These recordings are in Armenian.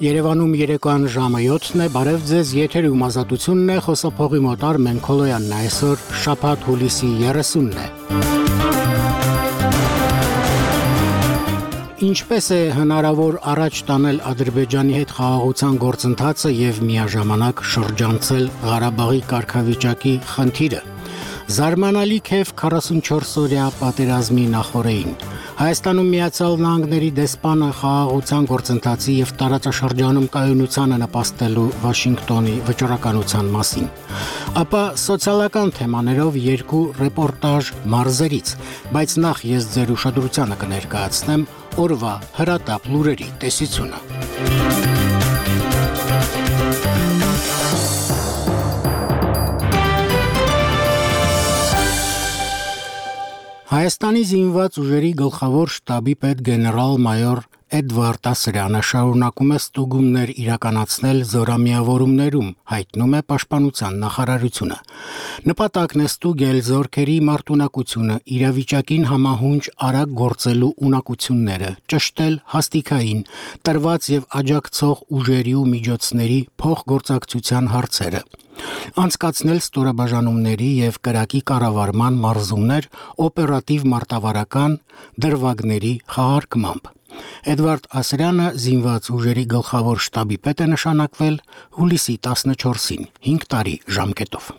Երևանում երեկոյան ժամը 7-ն է, բարև ձեզ, եթերում ազատությունն է, խոսափողի մոտ Արմեն Քոլոյանն է, այսօր շաբաթ հուլիսի 30-ն է։ Ինչպես է հնարավոր առաջ տանել Ադրբեջանի հետ խաղաղության գործընթացը եւ միաժամանակ շրջանցել Ղարաբաղի կարգավիճակի խնդիրը։ Զարմանալի քեֆ 44-օրյա պատերազմի նախօրեին։ Հայաստանում Միացյալ Նահանգների դեսպանը խաղաղության գործընթացի եւ տարածաշրջանում կայունությանը նպաստելու Վաշինգտոնի վճռականության մասին։ Ապա սոցիալական թեմաներով երկու ռեպորտաժ մարզերից, բայց նախ ես ձեր ուշադրությանը կներկայացնեմ օրվա հրատապ լուրերի տեսությունը։ Հայաստանի զինված ուժերի գլխավոր շտաբի պետ գեներալ-մայոր Էդվարդ Ասրյանը շարունակում է ստուգումներ իրականացնել զորամիավորումներում, հայտնում է Պաշտպանության նախարարությունը։ Նպատակն է ստուգել զորքերի մարտունակությունը, իրավիճակին համահունչ արագ գործելու ունակությունները, ճշտել հաստիքային, տրված եւ աջակցող ուժերի ու միջոցների փոխգործակցության հարցերը։ Անցկացնել ստորաբաժանումների եւ կրակի կառավարման մարզումներ օպերատիվ մարտավարական դրվագների խաղարկմամբ։ Էդվարդ Ասրյանը զինված ուժերի գլխավոր շտաբի պետ է նշանակվել հուլիսի 14-ին, 5 տարի ժամկետով։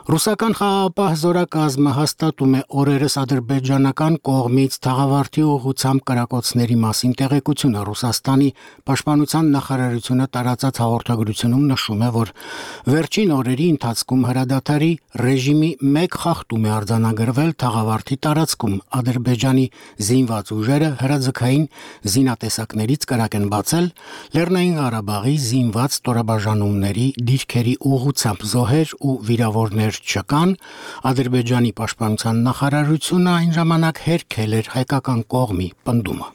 Ռուսական խաղաղապահ զորակազմը հաստատում է օրերս ադրբեջանական կողմից թաղավարտի ուղղությամբ կրակոցների մասին տեղեկությունը։ Ռուսաստանի պաշտպանության նախարարությունը տարածած հաղորդագրությունում նշում է, որ վերջին օրերի ընթացքում հրադադարի ռեժիմի մեկ խախտում է արձանագրվել թաղավարտի տարածքում։ Ադրբեջանի զինված ուժերը հրաձգային զինատեսակներից կրակ են բացել Լեռնային Ղարաբաղի զինված ստորաբաժանումների դիրքերի ուղղությամբ զոհեր ու վիրավորներ չկան, Ադրբեջանի պաշտպանության նախարարությունը այն ժամանակ հերքել էր հայկական կողմի պնդումը։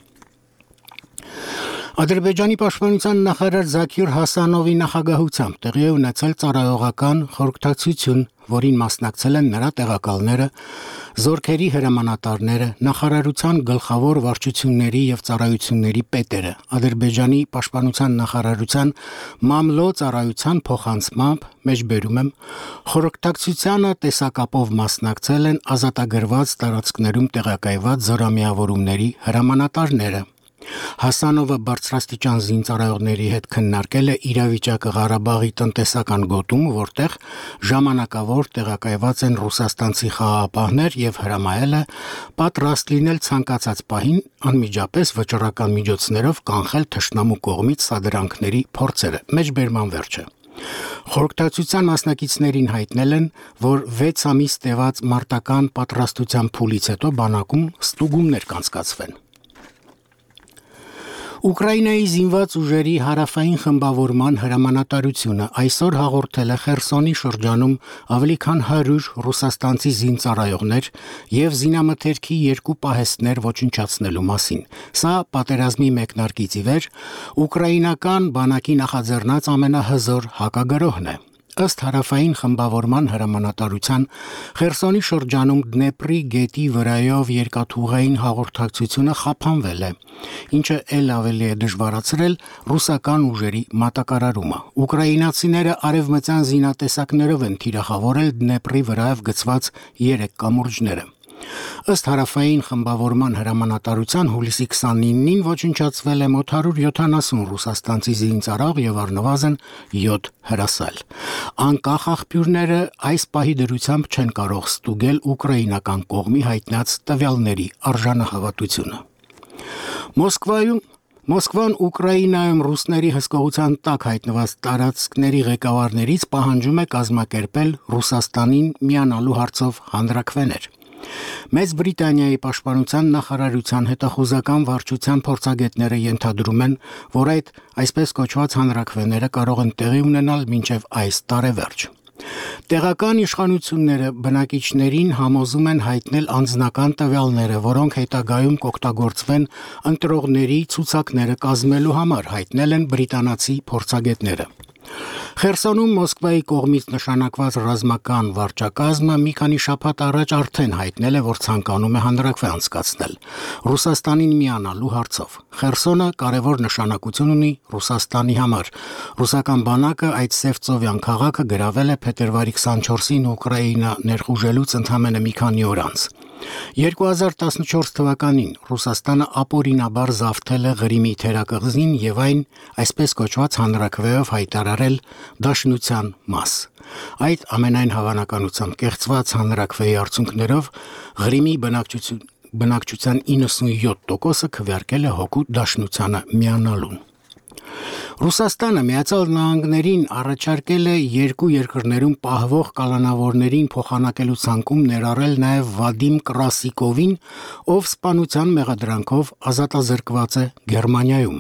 Ադրբեջանի պաշտպանության նախարար Զաքիր Հասանովի նախագահությամբ տեղի է ունեցել ծառայողական խորհրդակցություն, որին մասնակցել են նրա տեղակալները, զորքերի հրամանատարները, նախարարության գլխավոր վարչությունների եւ ծառայությունների պետերը, Ադրբեջանի պաշտպանության նախարարության մամլո ծառայության փոխանցմամբ, մեջբերում եմ, խորհրդակցությանը տեսակապով մասնակցել են ազատագրված տարածքներում տեղակայված զորամիավորումների հրամանատարները։ Հասանովը բարձրաստիճան զինծառայողների հետ քննարկել է իրավիճակը Ղարաբաղի տնտեսական գոտում, որտեղ ժամանակավոր տեղակայված են ռուսաստանցի խաղաղապահներ եւ հրամայել է պատրաստ լինել ցանկացած պահին անմիջապես վճռական միջոցներով կանխել թշնամու կողմից սադրանքների փորձերը։ Մեջբերման վերջը։ Խորհրդակցության մասնակիցներին հայտնել են, որ 6 ամիս տևած մարտական պատրաստության փուլից հետո բանակում ստուգումներ կանցկացվեն։ Ուկրաինայի զինված ուժերի հարավային խմբավորման հրամանատարությունը այսօր հաղորդել է Խերսոնի շրջանում ավելի քան 100 ռուսաստանցի զինծառայողներ եւ զինամթերքի 2 պահեստներ ոչնչացնելու մասին։ Սա պատերազմի մեկնարկից ի վեր ուկրաինական բանակի նախաձեռնած ամենահզոր հակագրոհն է։ Ըստ հարավային խմբավորման հրամանատարության Խերսոնի շրջանում Դնեպրի գետի վրայով երկաթուղային հաղորդակցությունը խափանվել է, ինչը ել ավելի է դժվարացրել ռուսական ուժերի մատակարարումը։ Ուկրաինացիները արևմտյան զինատեսակներով են թիրախավորել Դնեպրի վրայով գծված 3 կամուրջները։ Ըստ հարավային խմբավորման հրամանատարության հուլիսի 29-ին ոչնչացվել է մոտ 170 ռուսաստանցի զինծառայող եւ առնվազն 7 հրասայլ։ Անկախ աղբյուրները այս պահի դրությամբ չեն կարող ստուգել ուկրաինական կողմի հայտնած տվյալների արժանահավատությունը։ Մոսկվան Ուկրաինայում ռուսների հսկողության տակ հայտնված տարածքների ղեկավարներից պահանջում է կազմակերպել Ռուսաստանին միանալու հարցով հանրաքվեներ։ Մեծ Բրիտանիայի պաշտպանության նախարարության հետախուզական վարչության փորձագետները ենթադրում են, որ այդ այսպես կոչված հանրաքվեները կարող են տեղի ունենալ մինչև այս տարեվերջ։ Տեղական իշխանությունները բնակիչներին համոզում են հայտնել անձնական տվյալները, որոնք հետագայում կօգտագործվեն ընտրողների ցուցակները կազմելու համար, հայտնել են բրիտանացի փորձագետները։ Խերսոնում Մոսկվայի կողմից նշանակված ռազմական վարչակազմը մի քանի շաբաթ առաջ արդեն հայտնել է, որ ցանկանում է հանրաքվե անցկացնել Ռուսաստանին միանալու հարցով։ Խերսոնը կարևոր նշանակություն ունի Ռուսաստանի համար։ Ռուսական բանակը այդ Սևծովյան քաղաքը գրավել է փետրվարի 24-ին Ուկրաինա ներխուժելուց ընդամենը մի քանի օր անց։ 2014 թվականին Ռուսաստանը ապօրինաբար զավթել է Ղրիմի թերակղզին եւ այն այսպես կոչված հանրաքվեով հայտարարել Դաշնության մաս։ Այդ ամենայն հավանականությամբ կեղծված հանրաքվեի արդյունքներով Ղրիմի բնակչության 97%-ը քվեարկել է հօգուտ Դաշնությանը միանալուն։ Ռուսաստանը Միացյալ Նահանգներին առաջարկել է երկու երկրներում պահվող կալանավորներին փոխանակելու ցանկում ներառել նաև Վադիմ Կրասիկովին, ով սպանության մեղադրանքով ազատազրկված է Գերմանիայում։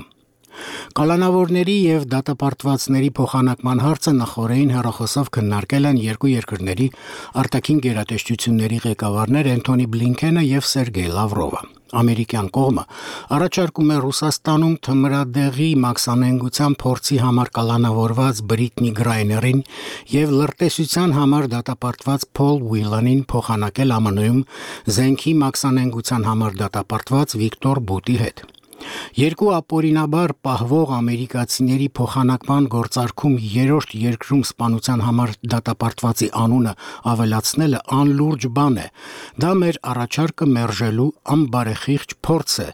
Կալանավորների եւ դատապարտվածների փոխանակման հարցը նախորդին հեռախոսով քննարկել են երկու երկրների արտաքին գերատեսչությունների ղեկավարներ Անթոնի Բլինքենը եւ Սերգեյ Լավրովը։ Ամերիկյան կողմը առաջարկում է Ռուսաստանում թմրադեղի մաքսանենգության փորձի համար կալանավորված Բրիտնի Գրայներին եւ լրտեսության համար դատապարտված Փոլ Ուիլանին փոխանակել ԱՄՆ-ում զենքի մաքսանենգության համար դատապարտված Վիկտոր Բուտի հետ։ Երկու ապօրինաբար պահվող ամերիկացիների փոխանակման գործարքում երրորդ երկրում սպանության համար դատապարտվածի անունը ավելացնելը անլուրջ բան է։ Դա մեր առաջարկը մերժելու անբարեխիղճ փորձ է,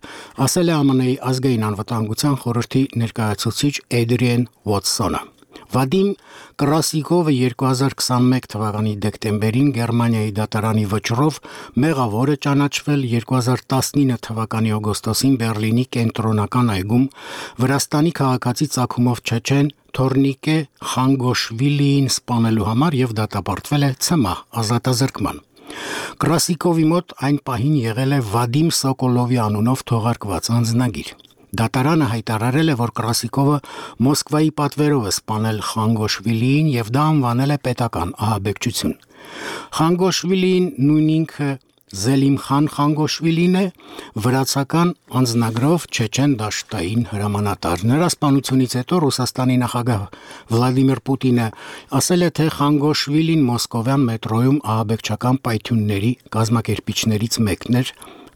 ասել է ԱՄՆ-ի ազգային անվտանգության խորհրդի ներկայացուցիչ Էդրիեն Ուոտսոնը։ Վադիմ Կրասիկովը 2021 թվականի դեկտեմբերին Գերմանիայի դատարանի վճռով մեղավոր է ճանաչվել 2019 թվականի օգոստոսին Բերլինի կենտրոնական այգում Վրաստանի քաղաքացի ծագումով չեչեն Թորնիկե Խանգոշվիլիին սպանելու համար եւ դատապարտվել է ՑՄԱ ազատազրկման։ Կրասիկովի մոտ այն պահին եղել է Վադիմ Սոկոլովի անունով թողարկված անձնագիր։ Դատարանը հայտարարել է, որ Կրասիկովը Մոսկվայի պատվերով է սպանել Խանգոշվիլիին եւ դա անվանել է պետական ահաբեկչություն։ Խանգոշվիլիին նույն ինքը Զելիմխան Խանգոշվիլին է, վրացական անձնագրով չեչեն դաշտային հրամանատար։ Նրա սպանությունից հետո Ռուսաստանի նախագահ Վլադիմիր Պուտինը ասել է, թե Խանգոշվիլին մոսկովյան մետրոյում ահաբեկչական պայթյունների կազմակերպիչներից մեկն էր։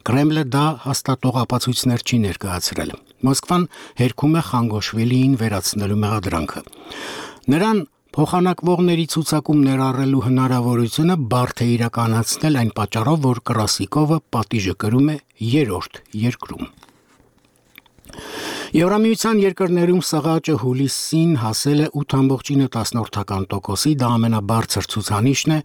Կրեմլը դա հաստատող ապացույցներ չի ներկայացրել։ Մոսկվան հերքում է Խանգոշվիլիին վերացնելու մեղադրանքը։ Նրան փոխանակվողների ցուցակում ներառելու հնարավորությունը բարդ է իրականացնել այն պատճառով, որ Կրասիկովը պատիժը կրում է երրորդ երկրում։ Եվրամիության երկրներում սղաճը հուլիսին հասել է 8.9%-ի, դա ամենաբարձր ցուցանիշն է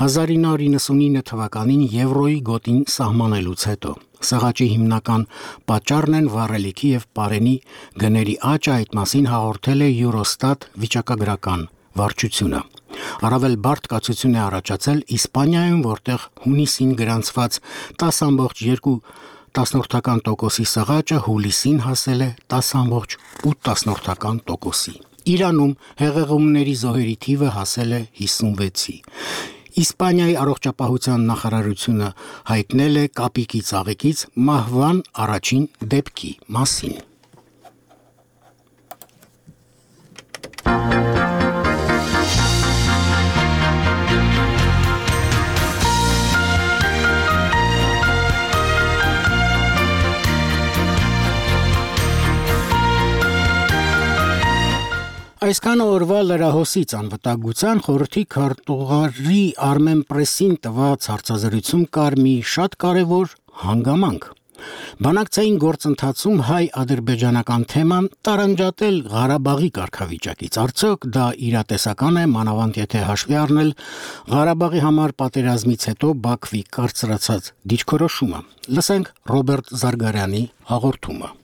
1999 թվականին եվրոյի գոտին սահմանելուց հետո։ Սղաճի հիմնական պատճառն են վառելիքի եւ պարենի գների աճը, այդ մասին հաղորդել է Eurostat վիճակագրական վարչությունը։ Առավել բարդ կացություն է առաջացել Իսպանիայում, որտեղ հունիսին գրանցված 10.2%-ի սղաճը հուլիսին հասել է 10.8%-ի։ Իրանում հեղեղումների զոհերի թիվը հասել է 56-ի։ Իսպանիայի առողջապահության նախարարությունը հայտնել է կապիկի ծաղիկից մահվան առաջին դեպքի մասին։ Այսքան օրվա լրահոսից անվտանգության խորհրդի քարտուղարի Armen Press-ին տված հարցազրույցում կար մի շատ կարևոր հանգամանք։ Բանակցային գործընթացում հայ-ադրբեջանական թեման տարանջատել Ղարաբաղի կարգավիճակից։ Արդյոք դա իրատեսական է, մանավանդ եթե հաշվի առնել Ղարաբաղի համար պատերազմից հետո Բաքվի կարծրացած դիրքորոշումը։ Լսենք Ռոբերտ Զարգարյանի հաղորդումը։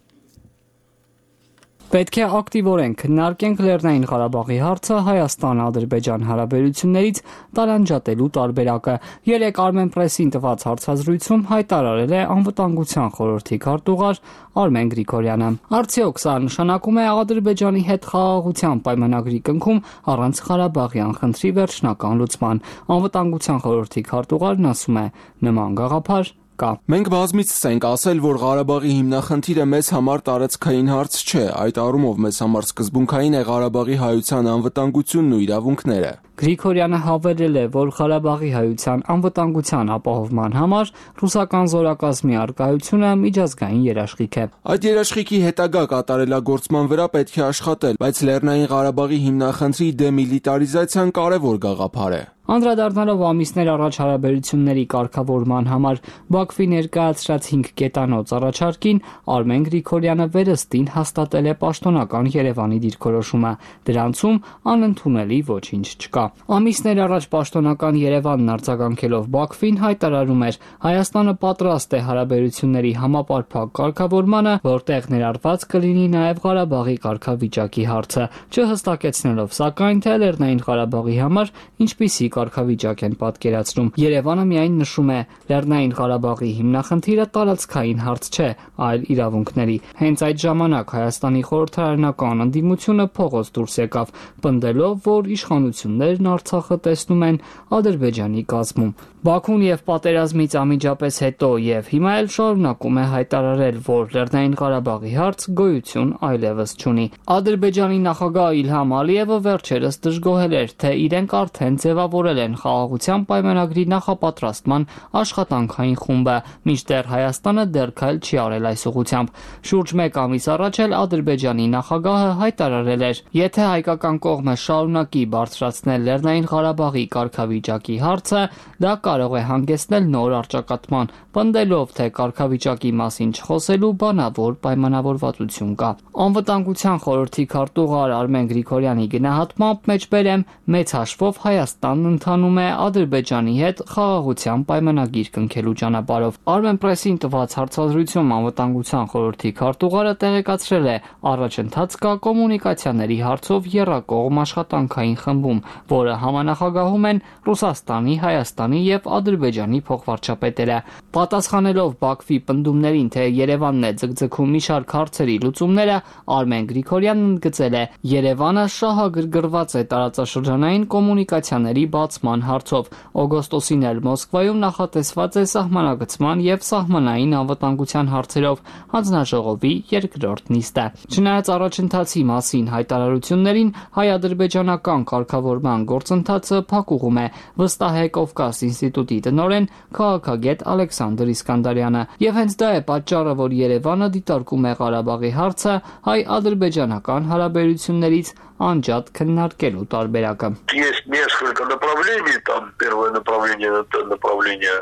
Պետք է ակտիվորեն քննարկենք Լեռնային Ղարաբաղի հարցը Հայաստան-Ադրբեջան հարաբերություններից տարանջատելու տարբերակը։ Երեկ Armen Press-ին տված հարցազրույցում հայտարարել է անվտանգության խորհրդի քարտուղար Արմեն Գրիգորյանը։ Արդյոք սա նշանակում է Ադրբեջանի հետ խաղաղության պայմանագրի կնքում առանց Ղարաբաղյան խնդրի վերջնական լուծման։ Անվտանգության խորհրդի քարտուղարն ասում է, նման գաղափար կա։ Մենք բազմիցս ենք ասել, որ Ղարաբաղի հիմնախնդիրը մեզ համար տարածքային հարց չէ, այդ առումով մեզ համար սկզբունքային է Ղարաբաղի հայության անվտանգությունն ու իրավունքները։ Գրիգորյանը հավելել է, որ Ղարաբաղի հայության անվտանգության ապահովման համար ռուսական զորակազմի առկայությունը միջազգային երաշխիք է։ Այդ երաշխիքի հետագա կատարելագործման վրա պետք է աշխատել, բայց Լեռնային Ղարաբաղի հիմնախնդրի դեմիլիտարիզացիան կարևոր գաղափար է։ Անդրադառնալով ամիսներ առաջ հարաբերությունների կարգավորման համար Բաքվի ներկայացրած 5 կետանոց առաջարկին, Արմեն Գրիգորյանը վերստին հաստատել է պաշտոնական Երևանի դիրքորոշումը։ Դրանցում անընդունելի ոչինչ չկա։ Ամիսներ առաջ պաշտոնական Երևանն արձագանքելով Բաքվին հայտարարում էր. Հայաստանը պատրաստ է հարաբերությունների համապարփակ կարգավորմանը, որտեղ ներառված կլինի նաև Ղարաբաղի կարգավիճակի հարցը, չհստակեցնելով սակայն թե Լեռնային Ղարաբաղի համար ինչպիսի կարգավիճակ են պատկերացնում։ Երևանը միայն նշում է, Լեռնային Ղարաբաղի հիմնախնդիրը տարածքային հարց չէ, այլ իրավունքների։ Հենց այդ ժամանակ Հայաստանի խորհրդարանական ընդդիմությունը փողոց դուրս եկավ, պնդելով, որ իշխանություններն Արցախը տեսնում են Ադրբեջանի կազմում։ Բաքուն եւ պատերազմից անմիջապես հետո եւ հիմա էլ շարունակում է հայտարարել, որ Լեռնային Ղարաբաղի հարց գոյություն այլևս չունի։ Ադրբեջանի նախագահ Իլհամ Ալիևը վերջերս դժգոհել էր, թե իրենք արդեն ձևավորել են խաղաղության պայմանագրի նախապատրաստման աշխատանքային խումբը, մինչդեռ Հայաստանը դեռ քայլ չի արել այս ուղղությամբ։ Շուրջ 1 ամիս առաջ էլ Ադրբեջանի նախագահը հայտարարել էր, եթե հայկական կողմը շարունակի բարձրացնել Լեռնային Ղարաբաղի կարգավիճակի հարցը, դա կարող է հանգեցնել նոր առճակատման, պնդելով, թե կարգավիճակի մասին չխոսելու բանավոր պայմանավորվածություն կա։ Անվտանգության խորհրդի քարտուղար Արմեն Գրիգորյանի գնահատմամբ մեջբերեմ, մեծ հաշվով Հայաստանն ընթանում է Ադրբեջանի հետ խաղաղության պայմանագիր կնքելու ճանապարհով։ Armenpress-ին տված հարցազրույցում անվտանգության խորհրդի քարտուղարը տեղեկացրել է, առաջընթաց կա կոմունիկացիաների հարցով եռակողմ աշխատանքային խմբում, որը համանախագահում են Ռուսաստանի, Հայաստանի եւ Ադրբեջանի փոխվարչապետերը։ Պատասխանելով Բաքվի պնդումներին, թե Երևանն է ձգձգում մի շարք հարցերի լուծումները, Արմեն Գրիգորյանն ընդգծել է. Երևանը շահագրգռված է տարածաշրջանային կոմունիկացիաների բացման հարցով։ Օգոստոսին էլ Մոսկվայում նախատեսված է սահմանագծման եւ սահմանային անվտանգության հարցերով հանձնաժողովի երկրորդ նիստը։ Չնայած առաջընթացի մասին հայտարարություններին, հայ-ադրբեջանական կարգավորման գործընթացը փակուղում է, վստահ է Կովկաս ինստիտուտի տնօրեն քաղաքագետ Ալեքսանդր Իսկանդարյանը։ Եվ հենց դա է պատճառը, որ Երևանը դիտարկում է Ղարաբաղի հարցը հայ-ադրբեջանական հարաբերություններից անջատ քննարկելու տարբերակը։ Есть несколько направлений, там первое направление это направление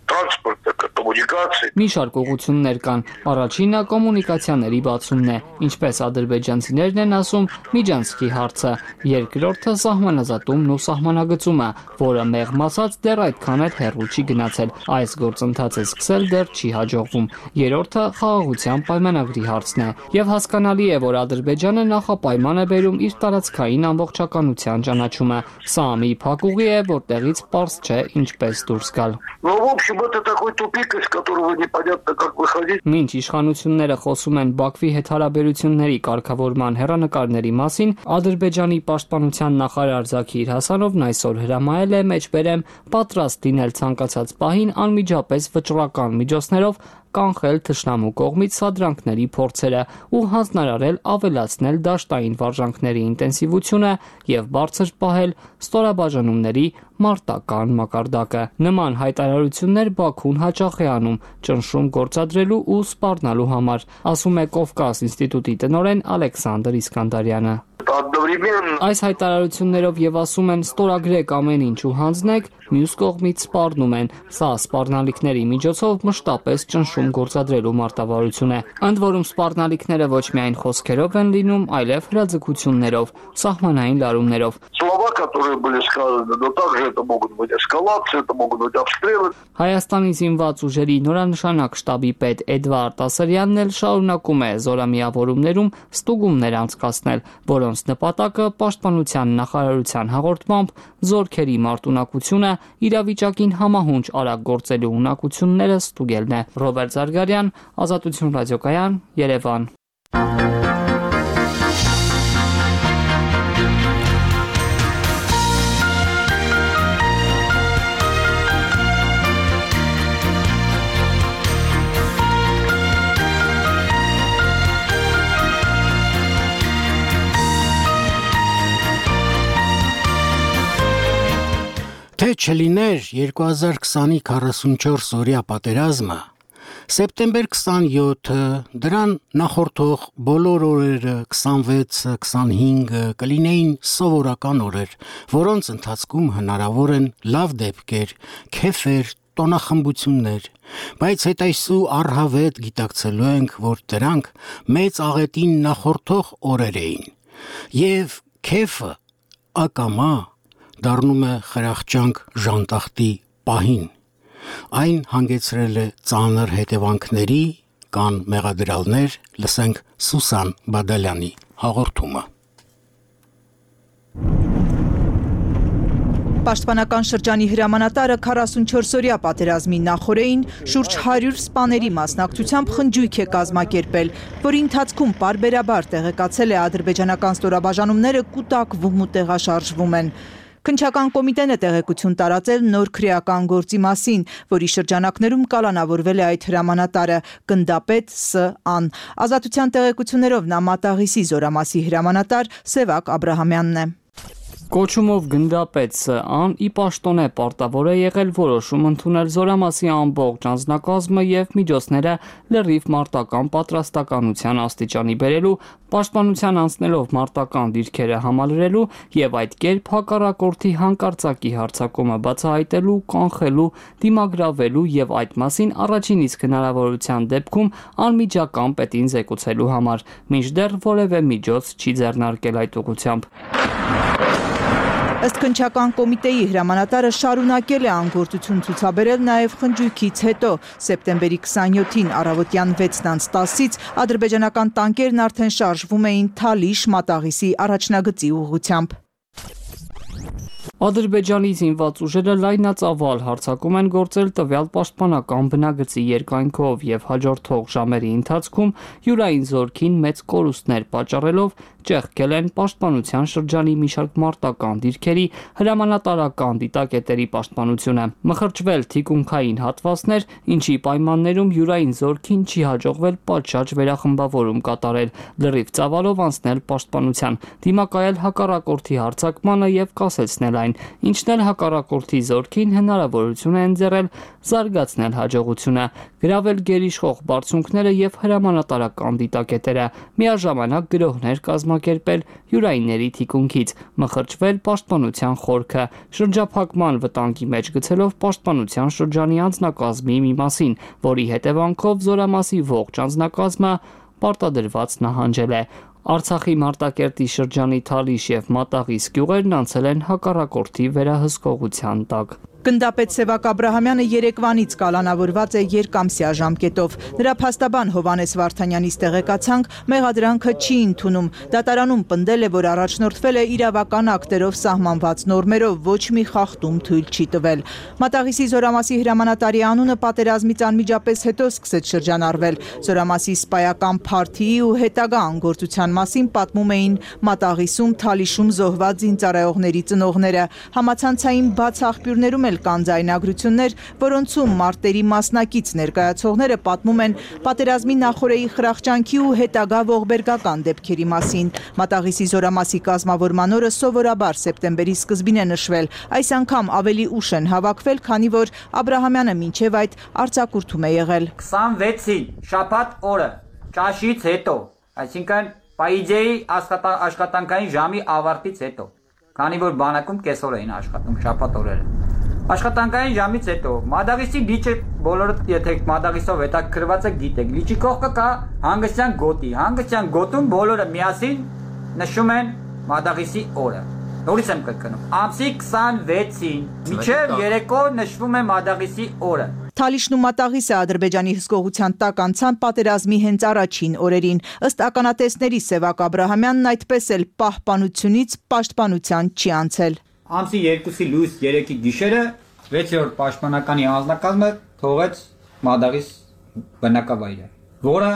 տրանսպորտը, կոմունիկացիա։ Մի շարք ուղղություններ կան։ Առաջինը կոմունիկացիաների բացումն է, ինչպես ադրբեջանցիներն են ասում, Միջանցքի հարցը։ Երկրորդը սահմանազատումն ու սահմանագծումը, որը մեղմ ասած դեռ այդքան էլ հեռու չի գնացել։ Այս գործընթացը սկսել դեռ չի հաջողվում։ Երրորդը խաղաղության պայմանագրի հարցն է։ Եվ հասկանալի է, որ Ադրբեջանը նախապայման է բերում իր տարածքային ամբողջականության ճանաչումը։ Սա մի փակուղի է, որտեղից պարզ չէ ինչպես դուրս գալ։ Это такой тупик, из которого непонятно как выходить. Մինչ իշխանությունները խոսում են Բաքվի հետ հարաբերությունների կարգավորման հեռանկարների մասին, Ադրբեջանի պաշտպանության նախարար Զաքիր Հասանովն այսօր հրամայել է մեջբերեմ պատրաստ լինել ցանկացած պահին անմիջապես վճռական միջոցներով կանխել թշնամու կողմից սադրանքների փորձերը ու հանձնարարել ավելացնել դաշտային վարժանքների ինտենսիվությունը եւ բարձր պահել ստորաբաժանումների մարտական մակարդակը։ Նման հայտարարություններ Բաքուն հաճախ է անում ճնշում գործադրելու ու սպառնալու համար, ասում է Կովկաս ինստիտուտի տնօրեն Ալեքսանդր Իսկանդարյանը։ Այս հայտարարություններով եւ ասում են ստորագրեք ամեն ինչ ու հանձնեք, մյուս կողմից սպառնում են։ Սա սպառնալիքների միջոցով մշտապես ճնշում գործադրելու մարտավարություն է։ Ընդ որում սպառնալիքները ոչ միայն խոսքերով են լինում, այլև հրաձգություններով, սահմանային լարումներով։ Слова, которые были сказаны, но также это могут быть эскалации, это могут быть обстрелы. Հայաստանի զինված ուժերի նորանշանակ շտաբի պետ Էդվարդ Ասարյանն էլ շարունակում է զորամիավորումներում ստուգումներ անցկացնել, որոնց նպատակը պաշտպանության նախարարության հաղորդմամբ զորքերի մարտունակությունը իրավիճակին համահունչ արագ գործելու ունակությունները ստուգելն է։ Ռոբերտ Զարգարյան, Ազատություն ռադիոկայան, Երևան։ չլիներ 2020-ի 44 օրյա պատերազմը, սեպտեմբեր 27-ը, դրան նախորդող բոլոր օրերը 26-ը, 25-ը կլինեին սովորական օրեր, որոնց ընթացքում հնարավոր են լավ դեպքեր, քեֆեր, տոնախմբություններ, բայց հետայսու առհավետ գիտակցելու ենք, որ դրանք մեծ աղետին նախորդող օրեր էին, և քեֆը ակամա դառնում է խրախճանք ժանտախտի պահին, այն հանգեցրել է ծանր հետևանքների, կան մեղադրյալներ, լսենք Սուսան Բադալյանի հաղորդումը։ Պաշտպանական շրջանի հրամանատարը 44-օրյա պատերազմի նախօրեին շուրջ 100 սպաների մասնակցությամբ խնջույք է կազմակերպել, որի ընթացքում պարբերաբար տեղեկացել է ադրբեջանական ստորաբաժանումները կուտակվում ու տեղաշարժվում են։ Քննչական կոմիտեն է տեղեկություն տարածել նոր քրեական գործի մասին, որի շրջանակներում կալանավորվել է այդ հրամանատարը, գնդապետ Ս.Ան։ Ազատության տեղեկություններով նա Մատաղիսի զորամասի հրամանատար Սևակ Աբրահամյանն է։ Կոչումով գնդապետ Ս.Ան ի պաշտոն է պարտավոր է եղել որոշում ընդունել զորամասի ամբողջ անձնակազմը և միջոցները լրիվ մարտական պատրաստականության աստիճանի բերելու, պաշտպանության անցնելով մարտական դիրքերը համալրելու և այդ կերպ հակառակորդի հանկարծակի հարձակումը բացահայտելու, կանխելու, դիմագրավելու և այդ մասին առաջին իսկ հնարավորության դեպքում անմիջական պետին զեկուցելու համար, մինչդեռ որևէ միջոց չի ձեռնարկել այդ ուղղությամբ։ Ըստ քննչական կոմիտեի հրամանատարը շարունակել է անգործություն ցուցաբերել նաև խնջույքից հետո, սեպտեմբերի 27-ին առավոտյան 6:10-ից ադրբեջանական տանկերն արդեն շարժվում էին Թալիշ Մատաղիսի առաջնագծի ուղղությամբ։ Ադրբեջանի զինված ուժերը լայնածավալ հարձակում են գործել տվյալ պաշտպանական բնագծի երկայնքով և հաջորդող ժամերի ընթացքում յուրային զորքին մեծ կորուստներ պատճառելով ճեղքել են պաշտպանության շրջանի մի շարք մարտական դիրքերի, հրամանատարական դիտակետերի պաշտպանությունը, մխրճվել թիկունքային հատվածներ, ինչի պայմաններում յուրային զորքին չի հաջողվել պատշաճ վերախմբավորում կատարել, լրիվ ծավալով անցնել պաշտպանության, դիմակայել հակառակորդի հարձակմանը և կասեցնել այն, ինչն էլ հակառակորդի զորքին հնարավորություն է ընձեռել զարգացնել հաջողությունը, գրավել գերիշխող բարձունքները և հրամանատարական դիտակետերը, միաժամանակ գրոհներ կազմակերպել յուրայինների թիկունքից, մխրճվել պաշտպանության խորքը, շրջափակման վտանգի մեջ գցելով պաշտպանության շրջանի անձնակազմի մի մասին, որի հետևանքով զորամասի ողջ անձնակազմը պարտադրված նահանջել է։ Արցախի Մարտակերտի շրջանի Թալիշ և Մատաղիս գյուղերն անցել են հակառակորդի վերահսկողության տակ։ Գնդապետ Սևակ Աբրահամյանը երեկվանից կալանավորված է երկամսյա ժամկետով։ Նրա փաստաբան Հովհաննես Վարդանյանից տեղեկացանք, մեղադրանքը չի ընդունում։ Դատարանում պնդել է, որ առաջնորդվել է իրավական ակտերով սահմանված նորմերով, ոչ մի խախտում թույլ չի տվել։ Մատաղիսի զորամասի հրամանատարի անունը պատերազմից անմիջապես հետո սկսեց շրջանառվել։ Զորամասի սպայական փարթիի ու հետագա անգործության մասին պատմում էին Մատաղիսում, Թալիշում զոհված զինծառայողների ծնողները։ Համացանցային բաց աղբյուրներում կան ձայնագրություններ, որոնցում մարտերի մասնակից ներկայացողները պատմում են պատերազմի նախօրեի խրախճանքի ու հետագա ողբերգական դեպքերի մասին։ Մատաղիսի զորամասի կազմավորման օրը սովորաբար սեպտեմբերի սկզբին է նշվել, այս անգամ ավելի ուշ են հավաքվել, քանի որ Աբրահամյանը մինչև այդ արձակուրդում է եղել։ 26-ին շաբաթ օրը ճաշից հետո, այսինքն պայիջեի աշխատանքային ժամի ավարտից հետո, քանի որ բանակում կեսօր էին աշխատում շաբաթ օրերը։ Աշխատանքային ժամից հետո Մադաղիսի լիճը բոլորը եթե Մադաղիսով հետաքրքրված եք գիտեք, լիճի կողքը կա հանգստյան գոտի, հանգստյան գոտում բոլորը միասին նշում են Մադաղիսի օրը։ Նորից եմ կրկնում, ամսի 26-ին մինչև երեկո նշվում է Մադաղիսի օրը։ Թալիշն ու Մատաղիսը Ադրբեջանի հսկողության տակ անցան պատերազմի հենց առաջին օրերին։ Ըստ ականատեսների Սևակ Աբրահամյանն այդպես էլ պահպանությունից պաշտպանության չի անցել։ Ամսի 2-ի լույս 3-ի գիշերը 6-րդ պաշտպանականի անձնակազմը թողեց Մադաղիս բնակավայրը, որը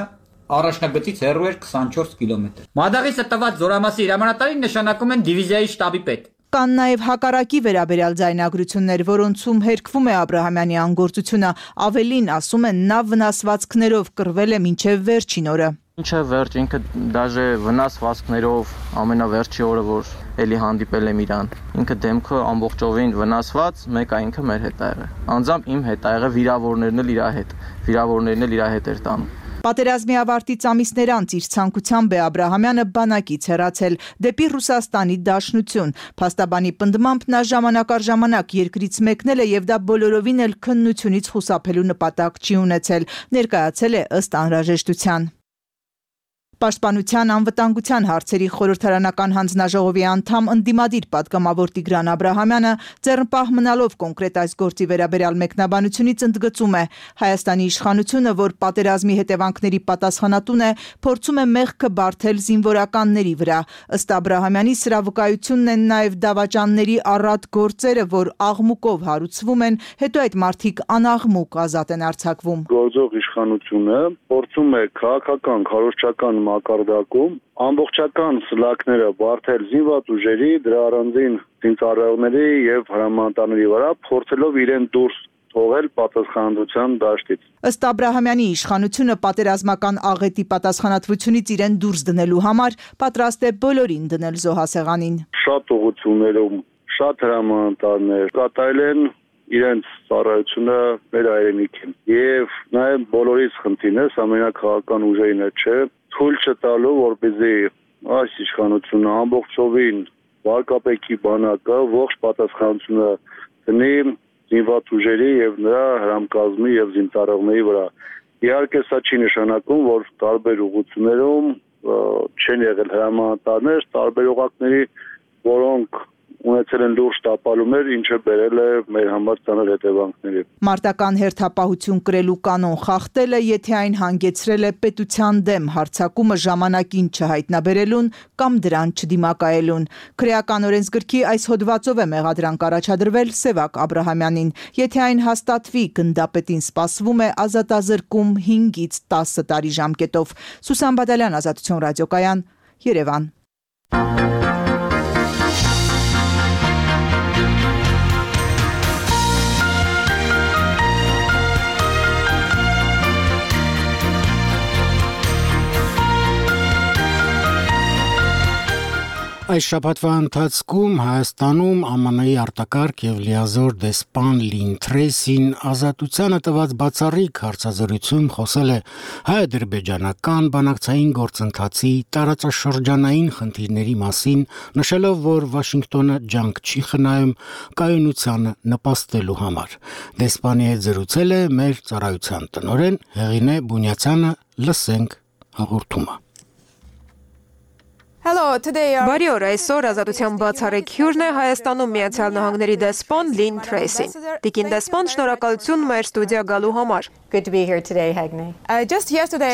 առաջնագծից հեռու էր 24 կիլոմետր։ Մադաղիսը տված զորամասի հրամանատարին նշանակում են դիվիզիայի շտաբի պետ։ Կան նաև հակառակի վերաբերյալ ձայնագրություններ, որոնցում հերքվում է Աբրահամյանի անգործությունը, ավելին ասում են նա վնասվածքներով կռվել է մինչև վերջին օրը։ Ինչը վերջ ինքը դաժե վնասվածքներով ամենավերջի օրը որ էլի հանդիպել եմ իրան։ Ինքը դեմքը ամբողջովին վնասված, մեկ է ինքը մեր հետ ա եղել։ Անձամբ իմ հետ ա եղել, վիրավորներն էլ իր հետ էր տանում։ Պատերազմի ավարտից ամիսներ անց իր ցանկությամբ է Աբ Ռահամյանը բանակից հեռացել դեպի Ռուսաստանի Դաշնություն։ Փաստաբանի պնդմամբ նա ժամանակ առ ժամանակ երկրից մեկնել է եւ դա բոլորովին էլ քննությունից խուսափելու նպատակ չի ունեցել, ներկայացել է ըստ անհրաժեշտության։ Պաշտպանության անվտանգության հարցերի խորհրդարանական հանձնաժողովի անդամ ընդդիմադիր պատգամավոր Տիգրան Աբրահամյանը ձեռնպահ մնալով կոնկրետ այս գործի վերաբերյալ մեկնաբանությունից ընդգծում է Հայաստանի իշխանությունը, որ պատերազմի հետևանքների պատասխանատուն է, փորձում է մեղքը բարթել զինվորականների վրա։ Ըստ Աբրահամյանի սրա վկայությունն են նաև դավաճանների առատ գործերը, որ աղմուկով հարուցվում են, հետո այդ մարդիկ անաղմուկ ազատ են արձակվում։ Գործող իշխանությունը փորձում է քաղաքական, քարոզչական մակարդակում ամբողջական սլակները բարթել զինված ուժերի, դրա առանձին զինծառայողների եւ հրամանատարների վրա, փորձելով իրեն դուրս թողել պատասխանատվության դաշտից։ Ըստ Աբրահամյանի իշխանությունը պատերազմական աղետի պատասխանատվությունից իրեն դուրս դնելու համար պատրաստ է բոլորին դնել զոհասեղանին։ Շատ ուղղություններում, շատ հրամանատարներ կատարել են իրենց ծառայությունը մեր հայրենիքին եւ նաեւ բոլորից խնդիրն է ամենակարևորական ուժերին է, չէ, թույլ չտալու, որպեսզի այս իշխանությունը ամբողջովին վարկապետի բանակը ողջ պատասխանատվությունը դնի զինված ուժերի եւ նրա հրամկազմի եւ զինծառայողների վրա։ Իհարկե սա չի նշանակում, որ տարբեր ուղղություններում չեն եղել հրամանատարներ, տարբեր օղակների, որոնք ունեցել են լուրջ տապալումներ, ինչը բերել է մեր համար ծանր հետևանքների։ Մարտական հերթապահություն կրելու կանոն խախտելը, եթե այն հանգեցրել է պետության դեմ հարձակումը ժամանակին չհայտնաբերելուն կամ դրան չդիմակայելուն։ Քրեական օրենսգրքի այս հոդվածով է մեղադրանք առաջադրվել Սևակ Աբրահամյանին։ Եթե այն հաստատվի, գնդապետին սպասվում է ազատազրկում 5-ից 10 տարի ժամկետով։ Սուսան Բադալյան, Ազատություն ռադիոկայան, Երևան։ Այս շաբաթվա ընթացքում Հայաստանում ԱՄՆ-ի արտակարգ եւ լիազոր դեսպան Լին Թրեյսին ազատությանը տված բացառիկ հարցազրույցում խոսել է հայ-ադրբեջանական բանակցային գործընթացի տարածաշրջանային խնդիրների մասին, նշելով, որ Վաշինգտոնը ջանք չի խնայում կայունությանը նպաստելու համար։ Դեսպանի հետ զրուցել է մեր ծառայության տնօրեն Հեղինե Բունյացյանը, լսենք հաղորդումը։ Բարի օր, այսօր ազատության բացառիկ հյուրն է Հայաստանում Միացյալ Նահանգների դեսպան Լին Թրեյսին։ Տիկին դեսպան, շնորհակալություն մեր ստուդիա գալու համար։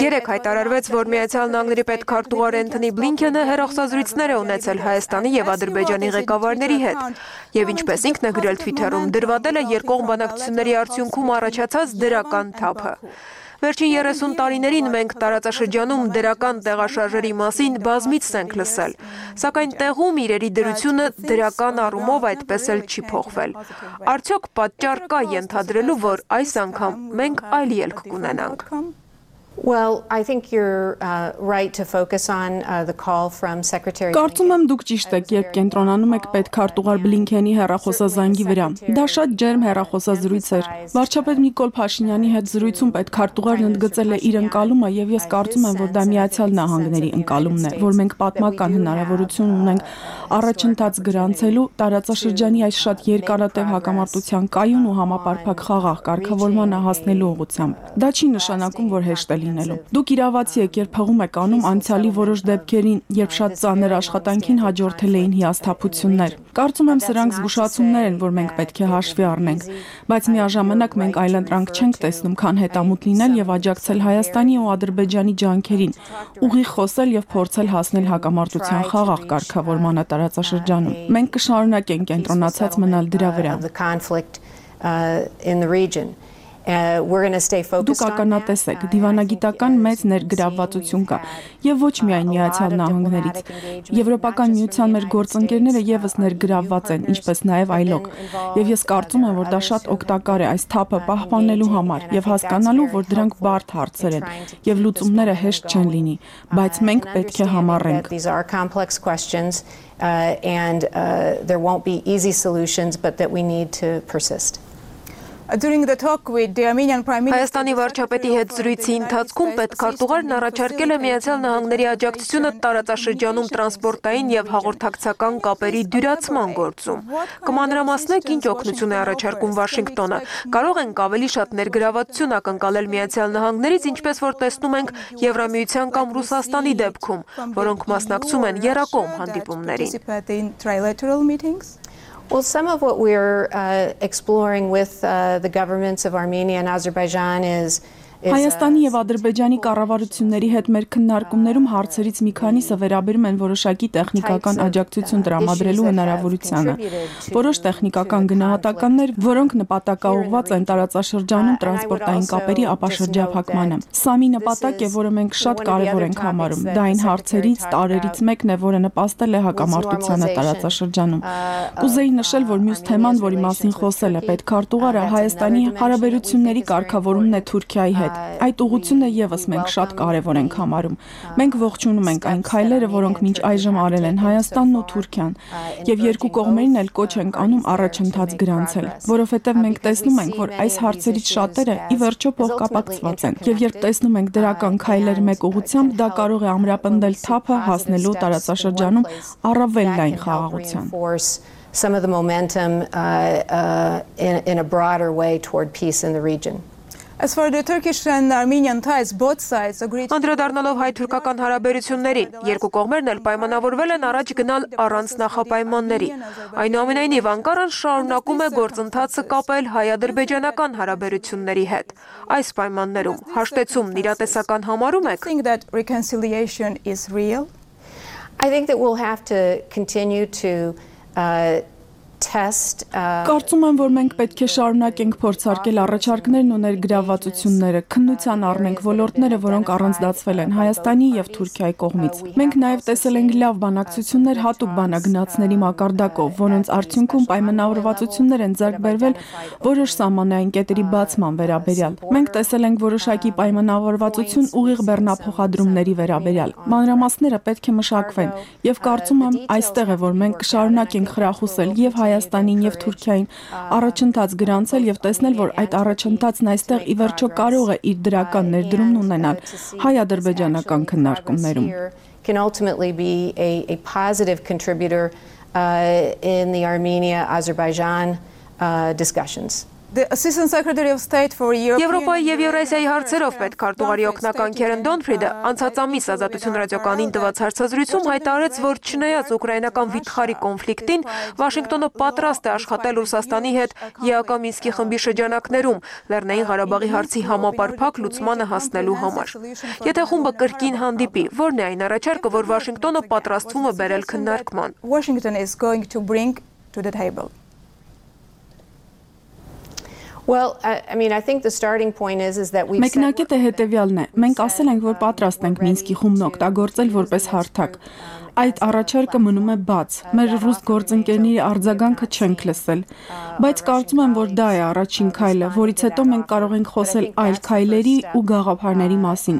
Երեկ հայտարարվեց, որ Միացյալ Նահանգների պետքարտուղար Էնթոնի Բլինքենը հեռախոսազրույցներ է ունեցել Հայաստանի եւ Ադրբեջանի ղեկավարների հետ։ Եվ ինչպես ինքն է գրել Twitter-ում, դրվատել է երկկողմ բանակցությունների արդյունքում առաջացած դրական թափը։ Վերջին 30 տարիներին մենք տարածաշրջանում դրական տեղաշարժերի մասին բազմիցս ենք լսել, սակայն տեղում իրերի դրությունը դրական առումով այդպես էլ չի փոխվել։ Արդյոք պատճառ կա ենթադրելու, որ այս անգամ մենք այլ ելք կունենանք։ Կարծում եմ դուք ճիշտ եք, երբ կենտրոնանում եք պետքարտուղար Բլինքենի հեռախոսազանգի վրա։ Դա շատ ջերմ հեռախոսազրույց էր։ Վարչապետ Նիկոլ Փաշինյանի հետ զրույցում պետքարտուղարն ընդգծել է իր ընկալումը եւ ես կարծում եմ, որ դա Միացյալ Նահանգների ընկալումն է, որ մենք պատմական հնարավորություն ունենք առաջընթաց գրանցելու տարածաշրջանի այս շատ երկարատև հակամարտության կայուն ու համապարփակ խաղաղ կարգավորմանը հասնելու ուղղությամբ։ Դա չի նշանակում, որ հեշտ է լինելու։ Դուք իրավացի եք, երբ հղում եք անում անցյալի որոշ դեպքերին, երբ շատ ծանր աշխատանքին հաջորդել էին հիասթափություններ։ Կարծում եմ սրանք զգուշացումներ են, որ մենք պետք է հաշվի առնենք, բայց միաժամանակ մենք այլընտրանք չենք տեսնում, քան հետամուտ լինել եւ աջակցել Հայաստանի ու Ադրբեջանի ջանքերին, ուղիղ խոսել եւ փորձել հասնել հակամարտության խաղաղ կարգավորմանը տարածաշրջանում։ Մենք կշարունակենք կենտրոնացած մնալ դրա վրա։ Դուք ականատես եք, դիվանագիտական մեծ ներգրավվածություն կա եւ ոչ միայն Միացյալ Նահանգներից։ Եվրոպական միության մեր գործընկերները եւս ներգրավված են, ինչպես նաեւ այլոք։ Եվ ես կարծում եմ, որ դա շատ օգտակար է այս թափը պահպանելու համար եւ հասկանալու, որ դրանք բարդ հարցեր են եւ լուծումները հեշտ չեն լինի, բայց մենք պետք է համառենք։ And there won't be easy solutions, but that we need to persist. Հայաստանի վարչապետի հետ զրույցի ընթացքում պետքարտուղարն առաջարկել է Միացյալ Նահանգների աջակցությունը տարածաշրջանում տրանսպորտային եւ հաղորդակցական կապերի դյուրացման գործում։ Կմանրամասնեք ինչ օգնություն է առաջարկում Վաշինգտոնը։ Կարող ենք ավելի շատ ներգրավվածություն ակնկալել Միացյալ Նահանգներից, ինչպես որ տեսնում ենք Եվրամիության կամ Ռուսաստանի դեպքում, որոնք մասնակցում են եռակողմ հանդիպումներին։ Well, some of what we're exploring with the governments of Armenia and Azerbaijan is Հայաստանի եւ Ադրբեջանի կառավարությունների հետ մեր քննարկումներում հարցերից մի քանիսը վերաբերում են որոշակի տեխնիկական աջակցություն տրամադրելու հնարավորությանը։ Որոշ տեխնիկական գնահատականներ, որոնք նպատակաուղղված են տարածաշրջանում տրանսպորտային կապերի ապաշրջափակմանը։ Սա մի նպատակ է, որը մենք շատ կարևոր ենք համարում։ Դա այն հարցերից տարերից մեկն է, որը նպաստել է հակամարտությանը տարածաշրջանում։ Կուզեի նշել, որ մյուս թեման, որի մասին խոսել է պետքարտուղարը, Հայաստանի հարաբերությունների կարգավորումն է Թուրքիայի հետ։ Այդ ուղղությունը եւս մենք շատ կարևոր ենք համարում։ Մենք ողջունում ենք այն քայլերը, որոնք մինչ այժմ արել են Հայաստանն ու Թուրքիան, եւ երկու կողմերին էլ կոչ ենք անում առաջընթաց գրանցել, որովհետեւ մենք տեսնում ենք, որ այս հարցերից շատերը ի վերջո փոխկապակցված են, եւ երբ տեսնում ենք դրական քայլեր մեկ ուղղությամբ, դա կարող է ամրապնդել թափը հասնելու տարածաշրջանում առավել լայն խաղաղության։ Some of the momentum in a broader way toward peace in the region. As for the Turkish and Armenian ties, both sides agreed. Անդրադառնալով հայ-թուրքական հարաբերություններին, երկու կողմերն էլ պայմանավորվել են առաջ գնալ առանց նախապայմանների։ Այնուամենայնիվ Անկարան շարունակում է գործընթացը կապել հայ-ադրբեջանական հարաբերությունների հետ։ Այս պայմաններում հաշտեցումն իրատեսական համարում եք։ I think that we'll have to continue to test Կարծում եմ, որ մենք պետք է շարունակենք փորձարկել առաջարկներն ու ներգրավվածությունները, քննության առնենք ոլորտները, որոնք առանձնացվել են Հայաստանի եւ Թուրքիայի կողմից։ Մենք նաեւ տեսել ենք լավ բանակցություններ հատուկ բանագնացների մակարդակով, որոնց արդյունքում պայմանավորվածություններ են ձեռք բերվել որոշ սահմանային կետերի բացման վերաբերյալ։ Մենք տեսել ենք որոշակի պայմանավորվածություն ուղիղ բեռնափոխադրումների վերաբերյալ։ Մանրամասները պետք է մշակվեն եւ կարծում եմ այստեղ է, որ մենք կշարունակենք խրախուսել եւ Հայաստանին եւ Թուրքիային առաջընթաց գրանցել եւ տեսնել, որ այդ առաջընթացն այստեղ ի վերջո կարող է իր դրական ներդրումն ունենալ հայ-ադրբեջանական քննարկումներում։ Can ultimately be a positive contributor in the Armenia-Azerbaijan discussions. Եվրոպայի եւ Եվրասիայի հարցերով պետքարտուղարի օգնական Քերեն Դոնֆրիդը անցած ամիս Ազատություն ռադիոկայանին տված հարցազրույցում հայտարարեց, որ չնայած ուկրաինական վիթխարի կոնֆլիկտին, Վաշինգտոնը պատրաստ է աշխատել Ռուսաստանի հետ ԵԱԿ Մինսկի խմբի շրջանակներում Լեռնային Ղարաբաղի հարցի համապարփակ լուծմանը հասնելու համար։ Եթե խումբը կրկին հանդիպի, ո՞րն է այն առաջարկը, որ Վաշինգտոնը պատրաստվում է բերել քննարկման։ Well, I mean, I think the starting point is that we Մեկնակետը հետևյալն է։ Մենք ասել ենք, որ պատրաստ ենք Մինսկի խումբն օգտագործել որպես հարթակ։ Այդ առաջարկը մնում է բաց։ Մեր ռուս գործընկերների արձագանքը չենք լսել, բայց կարծում եմ, որ դա է առաջին քայլը, որից հետո մենք կարող ենք խոսել այլ քայլերի ու գաղափարների մասին։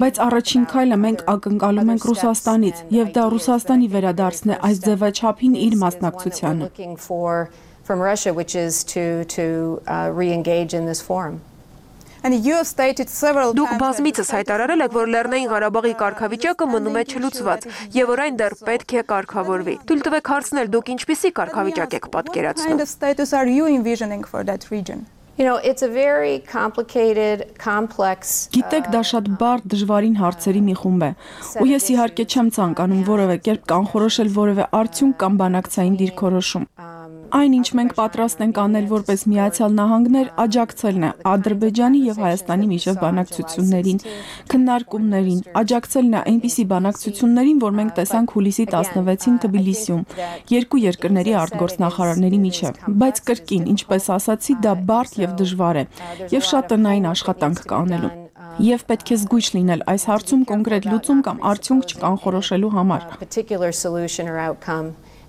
Բայց առաջին քայլը մենք ակնկալում ենք Ռուսաստանից, եւ դա Ռուսաստանի վերադարձն է այս ձևաչափին իր մասնակցությանը։ From Russia, which is to re-engage in this forum. Դուք բազմիցս հայտարարել եք, որ Լեռնային Ղարաբաղի կարգավիճակը մնում է չլուծված եւ որ այն դեռ պետք է կարգավորվի։ Թույլ տվեք հարցնել, դուք ինչպիսի կարգավիճակ եք պատկերացնում։ It's a very complicated, complex. Գիտեք, դա շատ բարդ, դժվարին հարցերի մի խումբ է։ Ու ես իհարկե չեմ ցանկանում որևէ կերպ կանխորոշել որևէ արդյունք կամ բանակցային դիրքորոշում։ Այն, ինչ մենք պատրաստ ենք անել որպես Միացյալ Նահանգներ, աջակցելն է Ադրբեջանի եւ Հայաստանի միջև բանակցություններին, քննարկումներին, աջակցելն է այնպիսի բանակցություններին, որ մենք տեսանք հուլիսի 16-ին Թբիլիսիում, երկու երկրների արտգործնախարարների միջև, բայց կրկին, ինչպես ասացի, դա բարդ եւ դժվար է եւ շատ տնային աշխատանք կա անելու։ Եվ պետք է զգույշ լինել այս հարցում կոնկրետ լուծում կամ արդյունք չկանխորոշելու համար։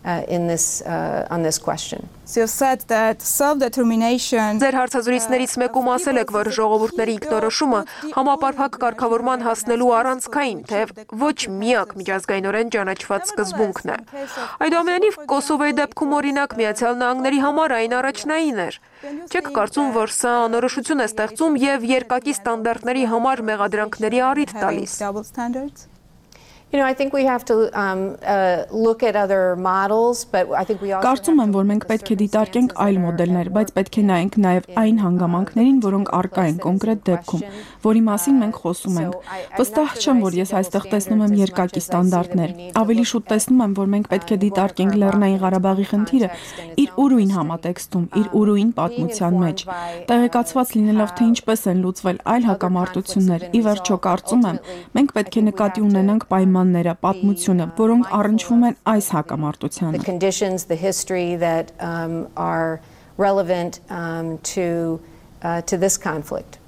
On this question. So you said that self-determination. Ձեր հարցազրույցներից մեկում ասել եք, որ ժողովուրդների ինքնորոշումը համապարփակ կարգավորման հասնելու առանցքային, թեև ոչ միակ միջազգայինորեն ճանաչված սկզբունքն է։ Այդուամենայնիվ Կոսովոյի դեպքում օրինակ Միացյալ Նահանգների համար այն առաջնային էր։ Չեք կարծում, որ սա անորոշություն է ստեղծում եւ երկակի ստանդարտների համար մեղադրանքների առիթ տալիս։ I think we have to look at other models, but I think we also Կարծում եմ, որ մենք պետք է դիտարկենք այլ մոդելներ, բայց պետք է նայենք նաև այն հանգամանքներին, որոնք առկա են կոնկրետ դեպքում, որի մասին մենք խոսում ենք։ Վստահ չեմ, որ ես այստեղ տեսնում եմ երկակի ստանդարտներ։ Ավելի շուտ տեսնում եմ, որ մենք պետք է դիտարկենք Լեռնային Ղարաբաղի խնդիրը իր ուրույն համատեքստում, իր ուրույն պատմության մեջ։ Տեղեկացված լինելով, թե ինչպես են լուծվել այլ հակամարտություններ, ի վերջո կարծում եմ, մենք պետք է նկատի ունենանք պայմանները, պատմությունը, որոնք առնչվում են այս հակամարտությանը։ The conditions, the history that are relevant to this conflict.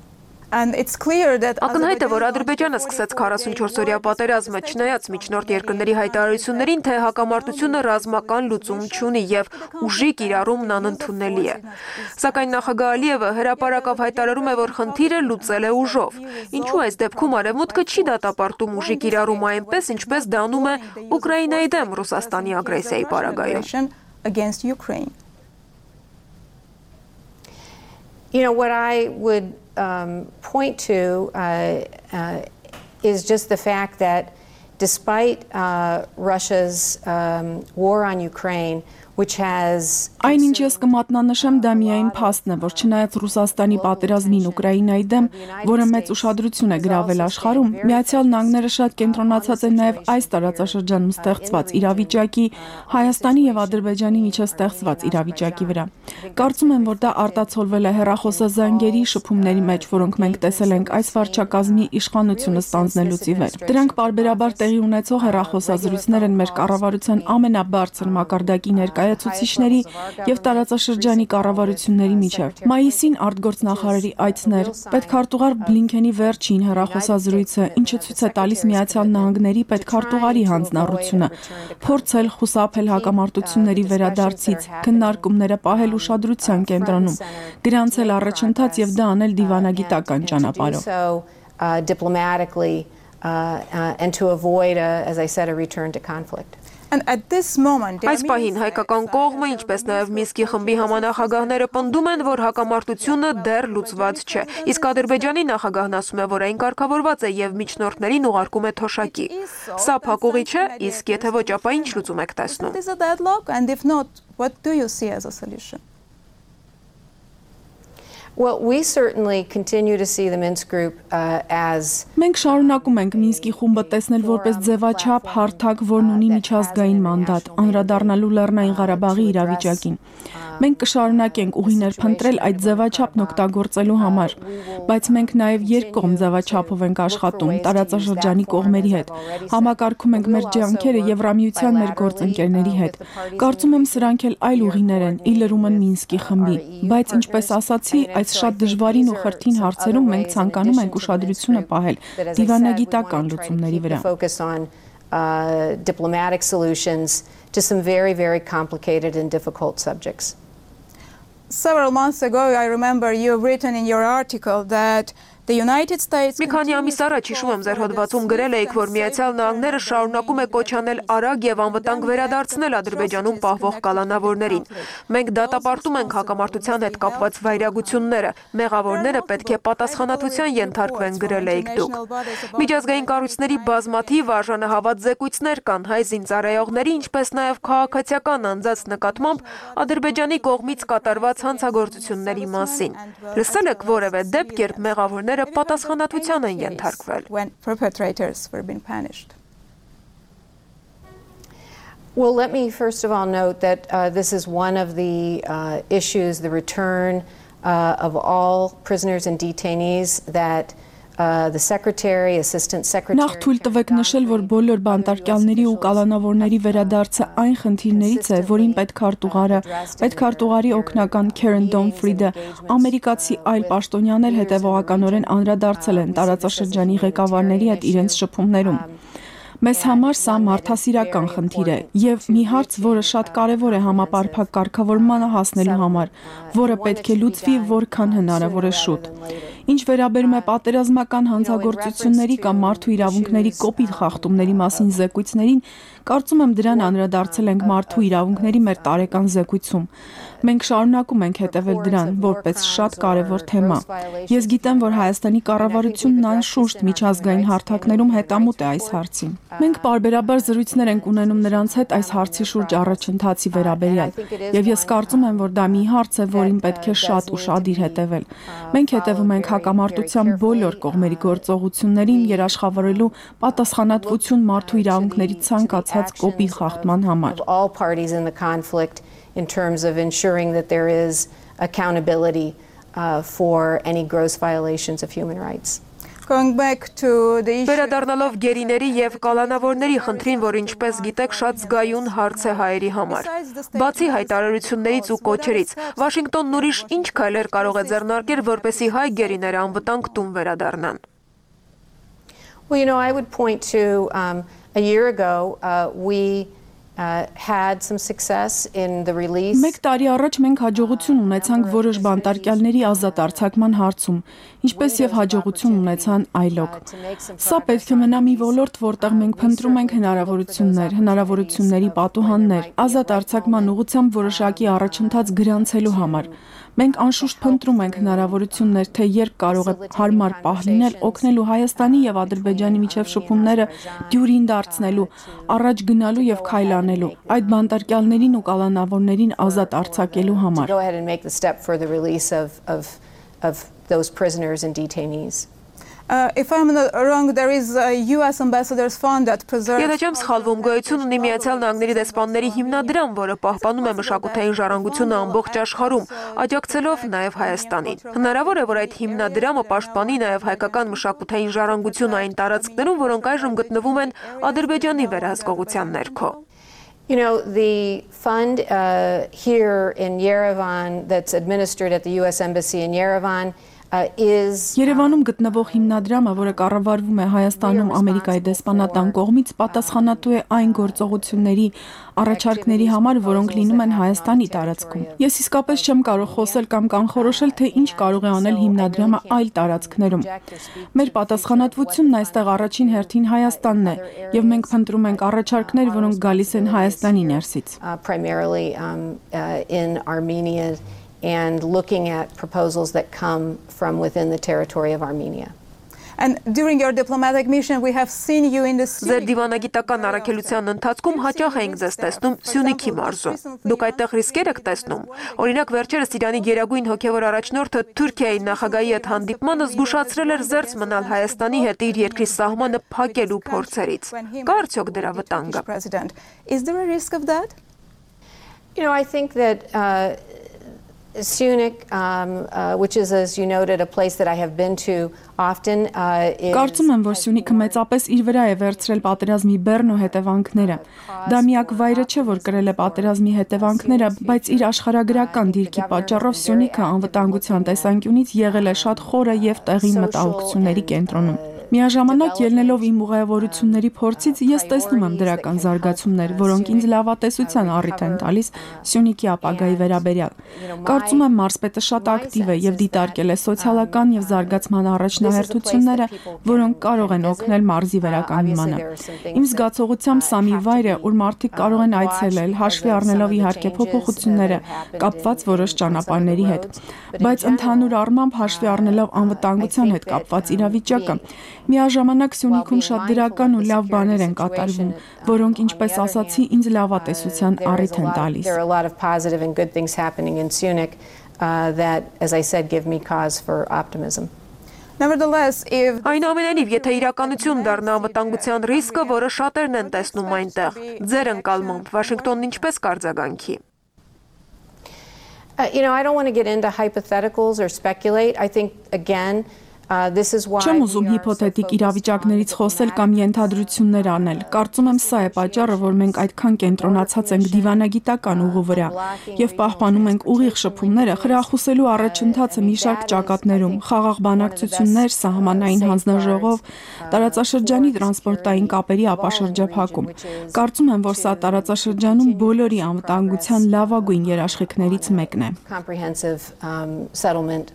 Ակնհայտ է, որ Ադրբեջանը սկսեց 44-օրյա պատերազմը, չնայած միջնորդ երկրների հայտարարություններին, թե հակամարտությունը ռազմական լուծում չունի եւ ուժի կիրառումն անընդունելի է։ Սակայն նախագահ Ալիևը հրապարակավ հայտարարում է, որ խնդիրը լուծել է ուժով։ Ինչու այս դեպքում Արևմուտքը չի դատապարտում ուժի կիրառումը այնպես, ինչպես դա անում է Ուկրաինայի դեմ Ռուսաստանի ագրեսիայի պարագայում։ What I would point to is just the fact that despite Russia's war on Ukraine, which has Այն ինչ ես կմատնանշեմ դա միայն փաստն է, որ չնայած Ռուսաստանի պատերազմին Ուկրաինայի դեմ, որը մեծ ուշադրություն է գրավել աշխարհում, Միացյալ Նահանգները շատ կենտրոնացած են նաև այս տարածաշրջանում ստեղծված իրավիճակի, Հայաստանի եւ Ադրբեջանի միջև ստեղծված իրավիճակի վրա։ Կարծում եմ, որ դա արտացոլվել է հեռախոսազանգերի շփումների մեջ, որոնք մենք տեսել ենք այս վարչակազմի իշխանությունը ստանձնելուց ի վեր։ Դրանք պարբերաբար տեղի ունեցող հեռախոսազրույցներ են մեր կառավարության ամենաբարձր մակարդակի ներկայացուցիչների եւ տարածաշրջանի կառավարությունների միջև։ Մայիսին արտգործնախարարի այցներ, պետքարտուղար Բլինքենի վերջին հեռախոսազրույցը, ինչը ցույց է տալիս Միացյալ Նահանգների պետքարտուղարի հանձնառությունը, փորձել խուսափել հակամարտությունների վերադարձից, քննարկումները պահել ուշադրության կենտրոնում, գրանցել առաջընթաց եւ դա անել դիվանագիտական ճանապարհով։ Diplomatically and to avoid as I said a return to conflict. Այս պահին հայկական կողմը, ինչպես նաև Մինսկի խմբի համանախագահները պնդում են, որ հակամարտությունը դեռ լուծված չէ, իսկ Ադրբեջանի նախագահն ասում է, որ այն կարգավորված է եւ միջնորդներին ուղարկում է թոշակի։ Սա փակուղի չէ, իսկ եթե ոչ, ապա ինչ լուծում եք տեսնում։ Well, we certainly continue to see the Minsk group as Մենք շարունակում ենք Մինսկի խումբը տեսնել որպես ձևաչափ հարթակ, որն ունի միջազգային մանդատ, անդրադառնալու Լեռնային Ղարաբաղի իրավիճակին։ Մենք կշարունակենք ուղիներ փնտրել այդ ձևաչափն օգտագործելու համար, բայց մենք նաև երկկողմ ձևաչափով ենք աշխատում տարածաշրջանի կողմերի հետ։ Համակարգում ենք մեր ջանքերը Եվրամիության մեր գործընկերների հետ։ Կարծում եմ սրանք էլ այլ ուղիներ են, ի լրումն Մինսկի խմբի, բայց ինչպես ասացի, այս շատ դժվարին ու խրթին հարցերում մենք ցանկանում ենք ուշադրությունը պահել դիվանագիտական լուծումների վրա։ Diplomatic solutions to some very, very complicated and difficult subjects. Several months ago, I remember you have written in your article that the United States Մի քանի ամիս առաջ հիշում եմ ձեր հոդվածում գրել եք, որ Միացյալ Նահանգները շարունակում է կոչ անել արագ եւ անվտանգ վերադարձնել Ադրբեջանում պահվող կալանավորներին։ Մենք դատապարտում ենք հակամարտության հետ կապված վայրագությունները, մեղավորները պետք է պատասխանատվության ենթարկվեն, գրել եք դուք։ Միջազգային կառույցների բազմաթիվ արժանահավատ զեկույցներ կան հայ զինծառայողների, ինչպես նաեւ քաղաքացիական անձանց նկատմամբ Ադրբեջանի կողմից կատարված հանցագործությունների մասին։ Լսել եք որևէ դեպք, երբ մեղավորները պատասխանատվության են ենթարկվել։ Well, let me first of all note that this is one of the issues, the return of all prisoners and detainees that the secretary, assistant secretary. Նախ թույլ տվեք նշել, որ բոլոր բանտարկյալների ու կալանավորների վերադարձը այն խնդիրներից է, որին պետքարտուղարի օգնական Karen Donfried-ը, ամերիկացի այլ պաշտոնյաներ հետևողականորեն անդրադարձել են տարածաշրջանի ղեկավարների հետ իրենց շփումներում։ Մեզ համար սա մարդասիրական խնդիր է եւ մի հարց, որը շատ կարեւոր է համապարփակ կարգավորմանը հասնելու համար, որը պետք է լուծվի որքան հնարավոր է շուտ։ Ինչ վերաբերում է պատերազմական հանցագործությունների կամ մարդու իրավունքների կոպիտ խախտումների մասին զեկույցներին, կարծում եմ դրան անդրադարձել ենք մարդու իրավունքների մեր տարեկան զեկույցում։ Մենք շարունակում ենք հետևել դրան որպես շատ կարևոր թեմա։ Ես գիտեմ, որ Հայաստանի կառավարությունն անշուշտ միջազգային հարթակներում հետամուտ է այս հարցին։ Մենք պարբերաբար զրույցներ ենք ունենում նրանց հետ այս հարցի շուրջ առաջընթացի վերաբերյալ, եւ ես կարծում եմ, որ դա մի հարց է, որին պետք է շատ ուշադիր հետևել։ Մենք հետևում ենք հակամարտության բոլոր կողմերի գործողություններին երաշխավորելու պատասխանատվություն մարդու իրավունքների ցանկացած կոպիտ խախտման համար։ In terms of ensuring that there is accountability for any gross violations of human rights. Going back to the issue. Վերադառնալով գերիների եւ կալանավորների խնդրին, որ ինչպես գիտեք, շատ զգայուն հարց է հայերի համար։ Բացի հայտարարություններից ու կոչերից, Վաշինգտոնն ուրիշ ինչ քայլեր կարող է ձեռնարկել, որպեսզի հայ գերիները անվտանգ տուն վերադառնան։ Well, I would point to a year ago we had some success in the release. Մեկ տարի առաջ մենք հաջողություն ունեցանք որոշ բանտարկյալների ազատ արձակման հարցում, ինչպես եւ հաջողություն ունեցան այլոք։ Սա պետք է մնա մի ոլորտ, որտեղ մենք փնտրում ենք հնարավորությունների պատուհաններ, ազատ արձակման ուղղությամբ որոշակի առաջընթաց գրանցելու համար։ Մենք անշուշտ փնտրում ենք հնարավորություններ, թե երբ կարող է հարմար պահ լինել օգնելու Հայաստանի եւ Ադրբեջանի միջև շփումները դյուրին դարձնելու, առաջ գնալու եւ քայլանելու, այդ բանտարկյալներին ու կալանավորներին ազատ արձակելու համար։ Go ahead and make the step for the release of those prisoners and detainees. If I'm not wrong, there is a US Ambassador's Fund that preserves. Եթե չեմ սխալվում, գոյություն ունի Միացյալ Նահանգների դեսպանների հիմնադրամ, որը պահպանում է մշակութային ժառանգությունը ամբողջ աշխարհում, աջակցելով նաև Հայաստանին։ Հնարավոր է, որ այդ հիմնադրամը պաշտպանի նաև հայկական մշակութային ժառանգությունը այն տարածքներում, որոնք այժմ գտնվում են Ադրբեջանի վերահսկողության ներքո։ The fund here in Yerevan that's administered at the US Embassy in Yerevan Երևանում գտնվող հիմնադրամը, որը կառավարվում է Հայաստանում Ամերիկայի դեսպանատան կողմից, պատասխանատու է այն գործողությունների առաջարկների համար, որոնք լինում են Հայաստանի տարածքում։ Ես իսկապես չեմ կարող խոսել կամ կանխորոշել, թե ինչ կարող է անել հիմնադրամը այլ տարածքներում։ Մեր պատասխանատվությունն այստեղ առաջին հերթին Հայաստանն է, եւ մենք փնտրում ենք առաջարկներ, որոնք գալիս են Հայաստանի ներսից։ Primarily in Armenia and looking at proposals that come from within the territory of Armenia. And during your diplomatic mission we have seen you in the Ձեր դիվանագիտական առաքելության ընթացքում հաճախ ենք ձեզ տեսնում Սյունիքի մարզում։ Դուք այդտեղ ռիսկեր եք տեսնում։ Օրինակ վերջերս Իրանի գերագույն հոգևոր առաջնորդը Թուրքիայի նախագահի հետ հանդիպմանը զգուշացրել էր զերծ մնալ Հայաստանի հետ իր երկրի սահմանը փակելու փորձերից։ Կա արդյոք դրա վտանգը։ Is there a risk of that? I think that Syunik, which is, as you noted, a place that I have been to often, Կարծում եմ, որ Սյունիքը մեծապես իր վրա է վերցրել պատերազմի բեռն ու հետևանքները։ Դա միակ վայրը չէ, որ կրել է պատերազմի հետևանքները, բայց իր աշխարհագրական դիրքի պատճառով Սյունիքը անվտանգության տեսանկյունից եղել է շատ խորը եւ տեղին մտահոգությունների կենտրոնում։ Միաժամանակ ելնելով իմ ուղևորությունների փորձից ես տեսնում եմ դրական զարգացումներ, որոնք ինձ լավատեսության առիթ են տալիս Սյունիքի ապագայի վերաբերյալ։ Կարծում եմ մարզպետը շատ ակտիվ է եւ դիտարկել է սոցիալական եւ զարգացման առաջնահերթությունները, որոնք կարող են օգնել մարզի վերականգնմանը։ Իմ զգացողությամբ սա մի վայր է, ուր մարդիկ կարող են այցելել, հաշվի առնելով իհարկե փոփոխությունները, կապված որոշ ճանապարհների հետ, բայց ընդհանուր առմամբ հաշվի առնելով անվտանգության հետ կապված իրավիճակը, Միաժամանակ Սյունիքում շատ դրական ու լավ բաներ են կատարվում, որոնք ինչպես ասացի, ինձ լավատեսության առիթ են տալիս։ There are a lot of positive and good things happening in Syunik that, as I said, give me cause for optimism. Nevertheless, if Այնուամենայնիվ, եթե իրականություն դառնա անվտանգության ռիսկը, որը շատերն են տեսնում այնտեղ, ձեր ընկալմամբ Վաշինգտոնն ինչպես կարձագանքի։ I don't want to get into hypotheticals or speculate. I think, again, this is why Չեմ ուզում հիփոթետիկ իրավիճակներից խոսել կամ ենթադրություններ անել։ Կարծում եմ սա է պատճառը, որ մենք այդքան կենտրոնացած ենք դիվանագիտական ուղու վրա եւ պահպանում ենք ուղիղ շփումները խրախուսելու առաջընթացը մի շարք ճակատներում՝ խաղաղ բանակցություններ, սահմանային հանձնաժողով, տարածաշրջանի տրանսպորտային կապերի ապաշրջափակում։ Կարծում եմ, որ սա տարածաշրջանում բոլորի անվտանգության լավագույն երաշխիքներից մեկն է։ Comprehensive settlement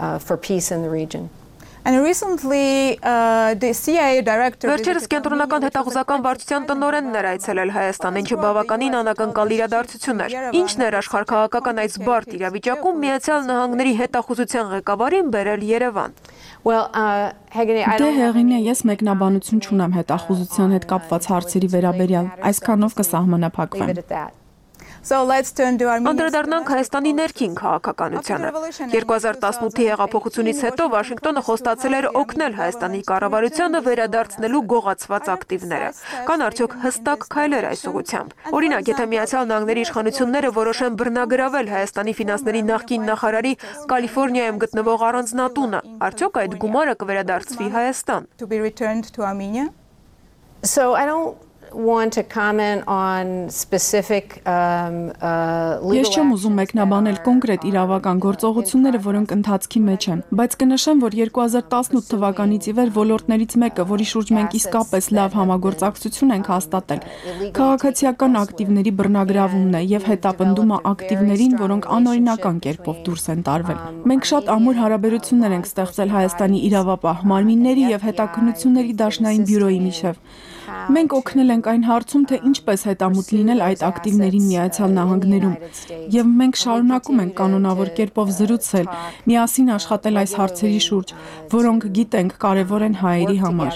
for peace in the region. And recently, the CIA director Վերջերս կենտրոնական հետախուզական վարչության տնօրենն էր այցելել Հայաստան, ինչը բավականին անակնկալ իրադարձություն էր։ Ինչն էր աշխարհաքաղաքական այս բարդ իրավիճակում Միացյալ Նահանգների հետախուզության ղեկավարին բերել Երևան։ Դե Հեղինե, ես մեկնաբանություն չունեմ հետախուզության հետ կապված հարցերի վերաբերյալ, այսքանով կսահմանափակվեմ։ Անդրադառնանք Հայաստանի ներքին քաղաքականությանը։ 2018-ի հեղափոխությունից հետո Վաշինգտոնը խոստացել էր օգնել Հայաստանի կառավարությանը վերադարձնելու գողացված ակտիվները։ Կան արդյոք հստակ քայլեր այս ուղղությամբ։ Օրինակ, եթե Միացյալ Նահանգների իշխանությունները որոշեն բռնագրավել Հայաստանի ֆինանսների նախկին նախարարի Կալիֆոռնիայում գտնվող առանձնատունը, արդյոք այդ գումարը կվերադարձվի Հայաստան։ So I don't want to comment on specific Ես չեմ ուզում մեկնաբանել կոնկրետ իրավական գործողությունները, որոնք ընթացքի մեջ են, բայց կնշեմ, որ 2018 թվականից ի վեր ոլորտներից մեկը, որի շուրջ մենք իսկապես լավ համագործակցություն ենք հաստատել, քաղաքացիական ակտիվների բռնագրավումն է եւ հետապնդումը ակտիվներին, որոնք անօրինական կերպով դուրս են տարվել։ Մենք շատ ամուր հարաբերություններ ենք ստեղծել Հայաստանի իրավապահ մարմինների եւ հետաքննությունների դաշնային բյուրոյի միջեւ։ Մենք օգնել ենք այն հարցում, թե ինչպես հետամուտ լինել այդ ակտիվներին Միացյալ Նահանգներում, եւ մենք շարունակում ենք կանոնավոր կերպով զրուցել, միասին աշխատել այս հարցերի շուրջ, որոնք գիտենք կարեւոր են հայերի համար։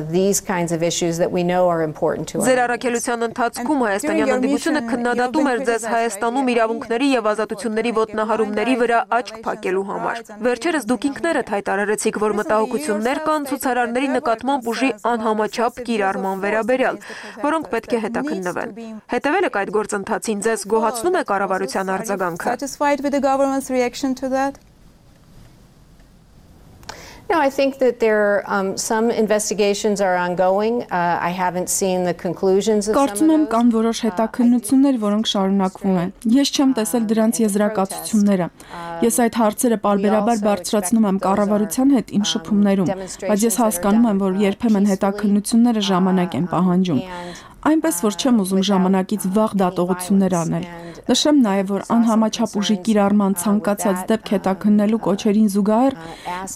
These kinds of issues that we know are important to us. Ձեր առաքելության ընթացքում հայաստանյան ընդդիմությունը քննադատում էր ձեզ Հայաստանում իրավունքների եւ ազատությունների ոտնահարումների վրա աչք փակելու համար։ Վերջերս դուք ինքներդ հայտարարեցիք, որ մտահոգություններ կան ցուցարարների նկատմամբ ուժի անհամաչափ կիրառման վերաբերյալ, որոնք պետք է հետաքննվեն։ Հետևել եք այդ գործընթացին, ձեզ գոհացնում է կառավարության արձագանքը։ No, I think that there some investigations are ongoing. I haven't seen the conclusions of some of Կարծում եմ կան որոշ հետաքննություններ, որոնք շարունակվում են։ Ես չեմ տեսել դրանց եզրակացությունները։ Ես այդ հարցերը պարբերաբար բարձրացնում եմ կառավարության հետ իմ շփումներում, բայց ես հասկանում եմ, որ երբեմն հետաքննությունները ժամանակ են պահանջում։ Այնպես որ չեմ ուզում ժամանակից վաղ դատողություններ անել։ Նշեմ նաև, որ անհամաչափ ուժի կիրառման ցանկացած դեպք հետաքննելու կոչերին զուգահեռ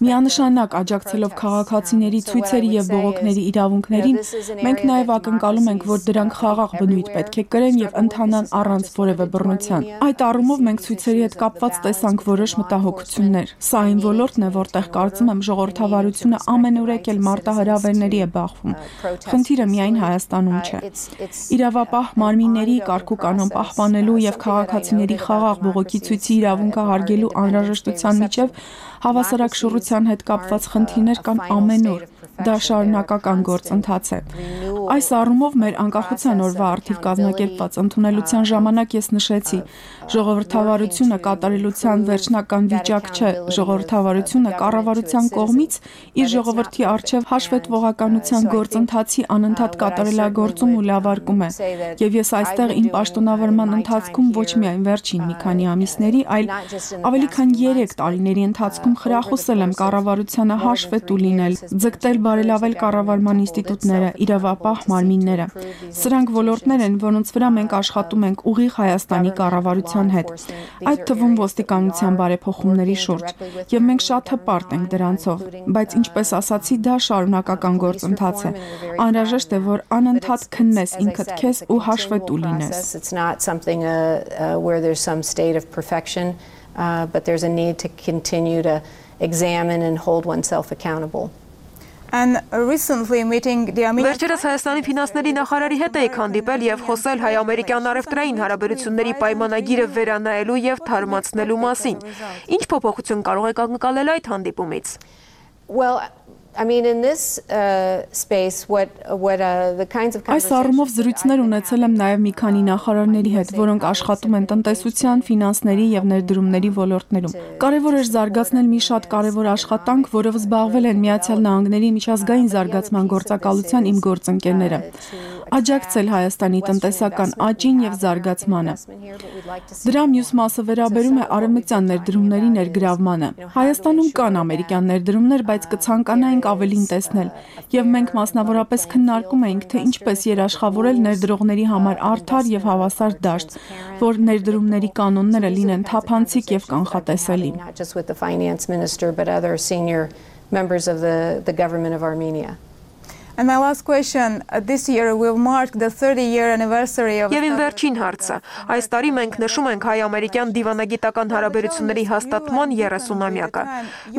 միանշանակ աջակցելով քաղաքացիների ցույցերի եւ բողոքների իրավունքներին, մենք նաև ակնկալում ենք, որ դրանք խաղաղ բնույթ պետք է կրեն եւ ընթանան առանց որևէ բռնության։ Այդ առումով մենք ցույցերի հետ կապված տեսանք որոշ մտահոգություններ։ Սա այն ոլորտն է, որտեղ կարծում եմ ժողովրդավարությունը ամենուրեք էլ մարտահրավերների է բախվում։ Խնդիրը միայն Հայաստանում չէ։ Իրավապահ մարմինների կարգու կանոն պահպանելու եւ քաղաքացիների խաղաղ բողոքի ցույցի իրավունքը հարգելու անհրաժեշտության միջև հավասարակշռության հետ կապված խնդիրներ կան ամենուր։ Դա շարունակական գործընթաց է։ Այս առումով մեր անկախության օրվա արդիվ կազմակերպված ընդունելության ժամանակ ես նշեցի, ժողովրդավարությունը կատարելության վերջնական վիճակ չէ, ժողովրդավարությունը կառավարության կողմից իր ժողովրդի արչև հաշվետվողականության գործընթացի անընդհատ կատարելագործում ու լավարկում է։ Եվ ես այստեղ իմ պաշտոնավարման ընթացքում ոչ միայն վերջին մի քանի ամիսների, այլ ավելի քան 3 տարիների ընթացքում խրախուսել եմ կառավարությանը հաշվետու լինել, ձգտել բարելավել կառավարման ինստիտուտները, իրավապահ մարմինները։ Սրանք ոլորտներ են, որոնց վրա մենք աշխատում ենք ուղիղ Հայաստանի կառավարության հետ, այդ թվում ոստիկանության բարեփոխումների շուրջ, եւ մենք շատ հպարտ ենք դրանցով, բայց ինչպես ասացի, դա շարունակական գործընթաց է։ Անհրաժեշտ է, որ անընդհատ քննես ինքդ քեզ ու հաշվետու լինես։ It's not something where there's some state of perfection, but there's a need to continue to examine and hold oneself accountable. And recently meeting the Վերջերս Հայաստանի ֆինանսների նախարարի հետ էի հանդիպել եւ խոսել հայ-ամերիկյան առևտրային հարաբերությունների պայմանագիրը վերանայելու եւ թարմացնելու մասին։ Ինչ փոփոխություն կարող եք ակնկալել այդ հանդիպումից։ Well, I mean, in this space, the kinds of Այս առումով զրույցներ ունեցել եմ նաև մի քանի նախարարների հետ, որոնք աշխատում են տնտեսության, ֆինանսների եւ ներդրումների ոլորտներում։ Կարևոր էր զարգացնել մի շատ կարևոր աշխատանք, որով զբաղվել են Միացյալ Նահանգների միջազգային զարգացման գործակալության իմ գործընկերները։ Աջակցել Հայաստանի տնտեսական աճին եւ զարգացմանը։ Դրա մյուս մասը վերաբերում է արևմտյան ներդրումների ներգրավմանը։ Հայաստանում կան ամերիկյան ներդրումներ, բայց կցանկանայինք ավելին տեսնել, եւ մենք մասնավորապես քննարկում էինք, թե ինչպես երաշխավորել ներդրողների համար արդար եւ հավասար դաշտ, որ ներդրումների կանոնները լինեն թափանցիկ եւ կանխատեսելի։ Members of the government of Armenia. And my last question, this year will mark the 30-year anniversary of Եվ իմ վերջին հարցը, այս տարի մենք նշում ենք հայ-ամերիկյան դիվանագիտական հարաբերությունների հաստատման 30-ամյակը։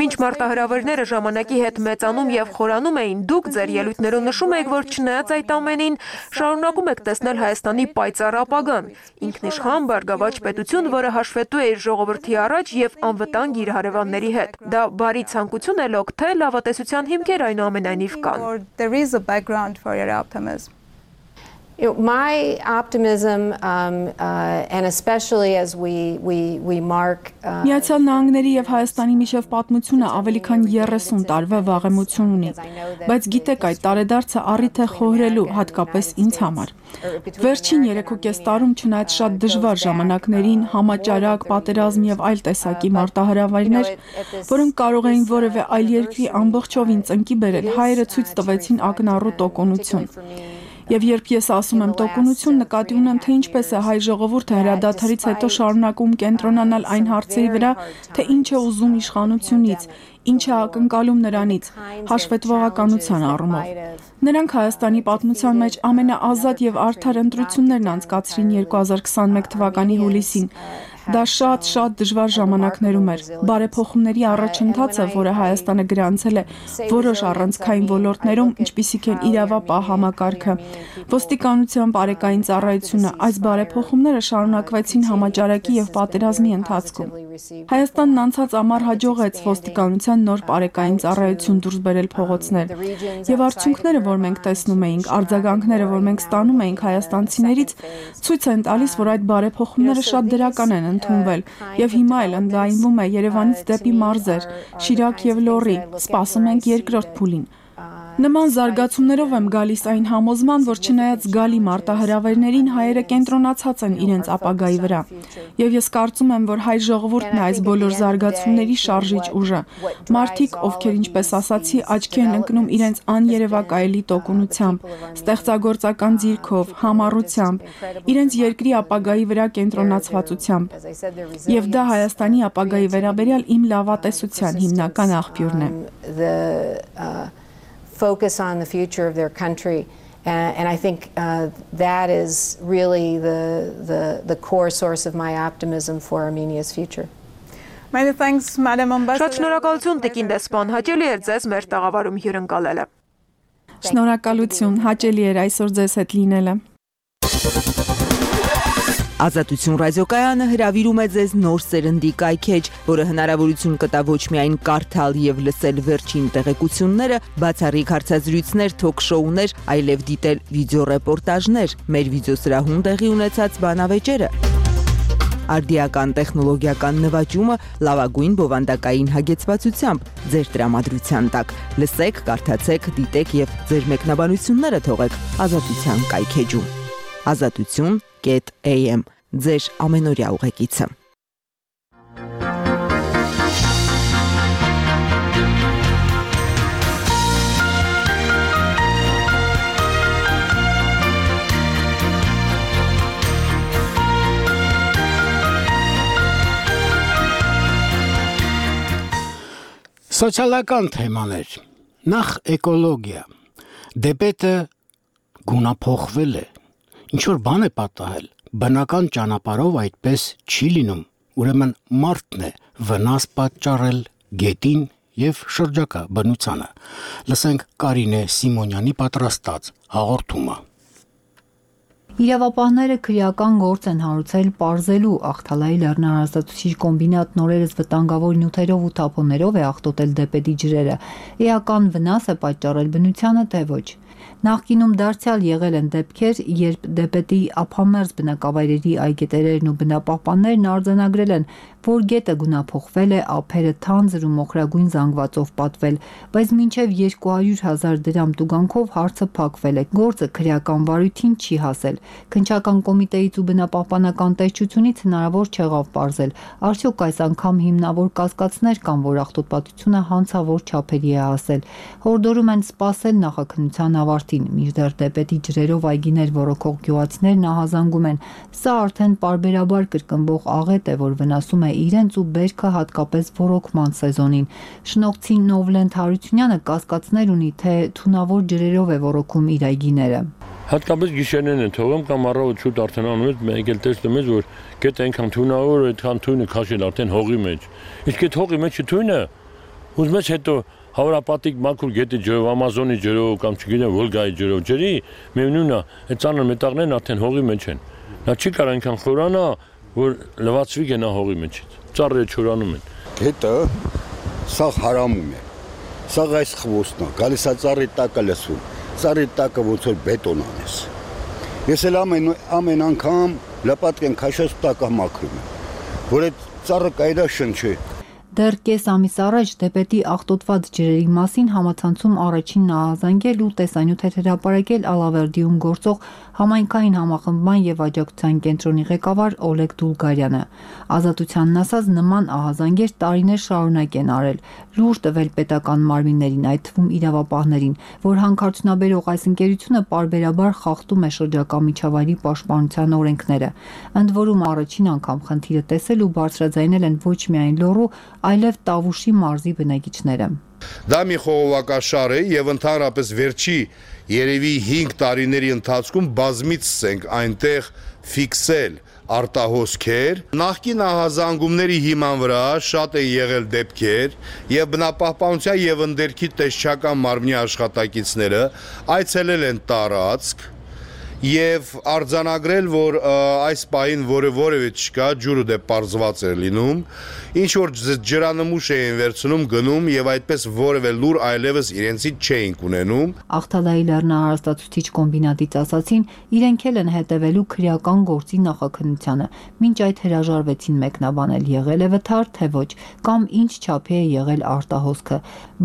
Մինչ մարտահրավերները ժամանակի հետ մեծանում եւ խորանում էին, դուք ձեր ելույթներում նշում եք, որ չնայած այդ ամենին, շարունակում եք տեսնել Հայաստանի պայծառ ապագան, ինքնիշխան բարգավաճ պետություն, որը հաշվետու է իր ժողովրդի առաջ եւ անվտանգ իր հարևանների հետ։ Դա բարի ցանկություն է լոկ, թե լավատեսության հիմքեր այնուամենայնիվ կան։ is a background for your optimism? My optimism, and especially as we mark Միացյալ Նահանգների եւ Հայաստանի միջև պատմությունը ավելի քան 30 տարվա վաղեմություն ունի, բայց գիտեք այդ տարեդարձը առիթ է խոհրելու հատկապես ինձ համար։ Վերջին 3.5 տարում չնայած շատ դժվար ժամանակներին, համաճարակ, պատերազմ եւ այլ տեսակի մարտահրավերներ, որոնք կարող էին որևէ այլ երկրի ամբողջովին ծնկի բերել, հայերը ցույց տվեցին ակնառու տոկունություն։ Եվ երբ ես ասում եմ տոկունություն, նկատի ունեմ, թե ինչպես է հայ ժողովուրդը հրադադարից հետո շարունակում կենտրոնանալ այն հարցերի վրա, թե ինչ է ուզում իշխանությունից, ինչ է ակնկալում նրանից, հաշվետվողականության առումով։ Նրանք Հայաստանի պատմության մեջ ամենաազատ եւ արդար ընտրություններն անցկացրին 2021 թվականի հուլիսին։ Դա շատ դժվար ժամանակներում էր։ Բարեփոխումների առաջընթացը, որը Հայաստանը գրանցել է որոշ առանցքային ոլորտներում, ինչպիսիք են իրավապահ համակարգը, ոստիկանության բարեկային ծառայությունը, այս բարեփոխումները շարունակվեցին համաճարակի եւ պատերազմի ընթացքում։ Հայաստանն անցած ամառ հաջողեց ոստիկանության նոր բարեկային ծառայություն դուրս բերել փողոցներ։ Եվ արդյունքները, որ մենք տեսնում էինք, արձագանքները, որ մենք ստանում էինք հայաստանցիներից, ցույց են տալիս, որ այդ բարեփոխումները շատ դրական են ընդունվել, եւ հիմա էլ ընդլայնվում է Երևանից դեպի մարզեր, Շիրակ եւ Լոռի, սպասում ենք երկրորդ փուլին։ Նման զարգացումներով եմ գալիս այն համոզման, որ չնայած գալի մարտահրավերներին հայերը կենտրոնացած են իրենց ապագայի վրա։ Եվ ես կարծում եմ, որ հայ ժողովուրդն է այս բոլոր զարգացումների շարժիչ ուժը։ Մարդիկ, ովքեր ինչպես ասացի, աչքի են ընկնում իրենց աներևակայելի տոկունությամբ, ստեղծագործական ձիրքով, համառությամբ, իրենց երկրի ապագայի վրա կենտրոնացվածությամբ։ Եվ դա Հայաստանի ապագայի վերաբերյալ իմ լավատեսության հիմնական աղբյուրն է։ Focus on the future of their country, and I think that is really the core source of my optimism for Armenia's future. Many thanks, Madam Ambassador. Շատ շնորհակալություն Տիկին դեսպան, հաճելի էր ձեզ մեր տաղավարում հյուրընկալելը։ Շնորհակալություն, հաճելի էր այսօր ձեզ հետ լինելը։ Ազատություն ռադիոկայանը հրավիրում է ձեզ նոր սերնդի կայքեջ, որը հնարավորություն կտա ոչ միայն կարդալ եւ լսել վերջին տեղեկությունները, բացառիկ հարցազրույցներ, թոք-շոուներ, այլև դիտել վիդեոռեպորտաժներ, մեր վիդեոսրահում տեղի ունեցած բանավեճերը, արդիական տեխնոլոգիական նվաճումը լավագույն բովանդակային հագեցվածությամբ ձեր տրամադրության տակ։ Լսեք, կարդացեք, դիտեք եւ ձեր մեկնաբանությունները թողեք Ազատության կայքեջում։ Azatutun.am ձեր ամենօրյա ուղեկիցը։ Սոցիալական թեմաներ։ Նախ էկոլոգիա։ Դեպետը գունափոխվել է։ Ինչ-որ բան է պատահել, բնական ճանապարհով այդպես չի լինում, ուրեմն մարդն է վնաս պատճառել գետին եւ շրջակա բնությանը։ Լսենք Կարինե Սիմոնյանի պատրաստած հաղորդումը։ Իրավապահները քրեական գործ են հարուցել պարզելու Ախթալայի լեռնահարստացուցիչ կոմբինատն օրերս վտանգավոր նյութերով ու թափոններով է աղտոտել դեպետի ջրերը։ Էական վնաս է պատճառել բնությանը, թե ոչ։ Նախկինում դարձյալ եղել են դեպքեր, երբ դեպետի ափամերձ բնակավայրերի այգետերերն ու բնապահպաններն արձանագրել են, որ գետը գունափոխվել է, ափերը թանձր ու մոխրագույն զանգվածով պատվել, բայց մինչև 200,000 դրամ տուգանքով հարցը փակվել է, գործը քրեական վարույթին չի հասել։ Քննչական կոմիտեից ու բնապահպանական տեսչությունից հնարավոր չեղավ պարզել, արդյոք այս անգամ հիմնավոր կասկածներ կան, որ աղտոտվածությունը հանցավոր չափերի է հասել։ Հորդորում են սպասել նախաքննության ավարտին, մինչդեռ դեպետի ջրերով այգիներ ոռոգող գյուղացիներն ահազանգում են։ Սա արդեն պարբերաբար կրկնվող աղետ է, որ վնասում է իրենց ու բերքը հատկապես ոռոգման սեզոնին։ Շնողցի Նովլենդ Հարությունյանը կասկածներ ունի, թե թունավոր ջրերով է ոռոգում իր այգիները։ Հատկապես գիշերներն են թողում կամ առավոտ շուտ արդեն անում ես, մեկ էլ տեսնում ես, որ գետը այնքան թունավոր է, այդքան թույնը քաշել արդեն հողի մեջ։ Իսկ այդ հողի մեջը թույնը ուզում ես հետո Հավրապատիկ մաքուր գետի ջրով, Ամազոնի ջրով կամ չգիտեմ Վոլգայի ջրով ջրի, միևնույնն է, այդ ծանր մետաղներն արդեն հողի մեջ են։ Նա չի կարող այնքան խորանա, որ լվացվի գնա հողի մեջից։ Ծառերը չորանում են։ Հետը սա հարամում է։ Սա այս խվոստն է, գալիս է ծառի տակը լսում։ Ծառի տակը ոնց որ բետոն անես։ Ես էլ ամեն անգամ լապատկեն քաշած տակը մաքրում եմ, որ այդ ծառը կայրա շնչի։ Դեռ կես ամիս առաջ դեպետի աղտոտված ջրերի մասին համացանցում առաջինն ահազանգել ու տեսանյութեր հրապարակել Ալավերդիում գործող համայնքային համախմբման եւ աջակցության կենտրոնի ղեկավար Օլեգ Դուլգարյանը։ Ազատությանն ասած նման ահազանգեր տարիներ շարունակ են արել, լուր տվել պետական մարմիններին, այդ թվում իրավապահներին, որ հանքարդյունաբերող այս ընկերությունը պարբերաբար խախտում է շրջակա միջավայրի պաշտպանության օրենքները։ Ընդ որում առաջին անգամ խնդիրը տեսել ու բարձրաձայնել են ոչ միայն Լոռու, այլև Տավուշի մարզի բնակիչները։ Դա մի խողովակաշար է եւ ընդհանրապես վերջի երևի 5 տարիների ընթացքում բազմից ենք այնտեղ ֆիքսել արտահոսքեր, նախկին ահազանգումների հիման վրա շատ են եղել դեպքեր եւ բնապահպանության եւ ընդերքի տեսչական մարմնի աշխատակիցները այցելել են տարածք եւ արձանագրել, որ այս պահին որևէ չկա, ջուրը դե պարզված է լինում, ինչ որ ջրանմուշ էին վերցնում, գնում եւ այդպես որևէ լուր այլևս իրենցից չէին ունենում։ Ախթալայի լեռնահարստացուցիչ կոմբինատից ասացին, իրենք էլ են հետևելու քրեական գործի նախաքննությանը, մինչ այդ հրաժարվեցին մեկնաբանել եղել է վթար, թե ոչ, կամ ինչ չափի է եղել արտահոսքը,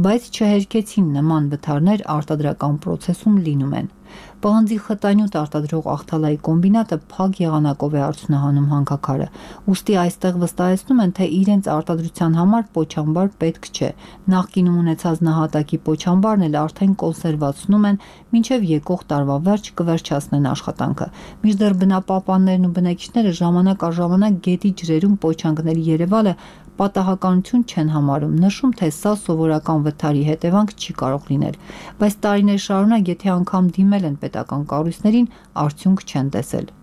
բայց չհերքեցին նման վթարներ արտադրական պրոցեսում լինում են։ Պղնձի խտանյութ արտադրող Ախթալայի կոմբինատը փակ եղանակով է արդյունահանում հանքաքարը, ուստի այստեղ վստահեցնում են, թե իրենց արտադրության համար պոչամբար պետք չէ։ Նախկինում ունեցած նահատակի պոչամբարն էլ արդեն կոնսերվացնում են, մինչև եկող տարվա վերջ կվերջացնեն աշխատանքը։ Մինչդեռ բնապահպաններն ու բնակիչները ժամանակ առ ժամանակ գետի ջրերում պոչանքների երևալը պատահականություն չեն համարում, նշում, թե սա սովորական վթարի հետևանք չի կարող լինել, բայց տարիներ շարունակ եթե անգամ դիմել են պետական կառույցներին, արդյունք չեն տեսել։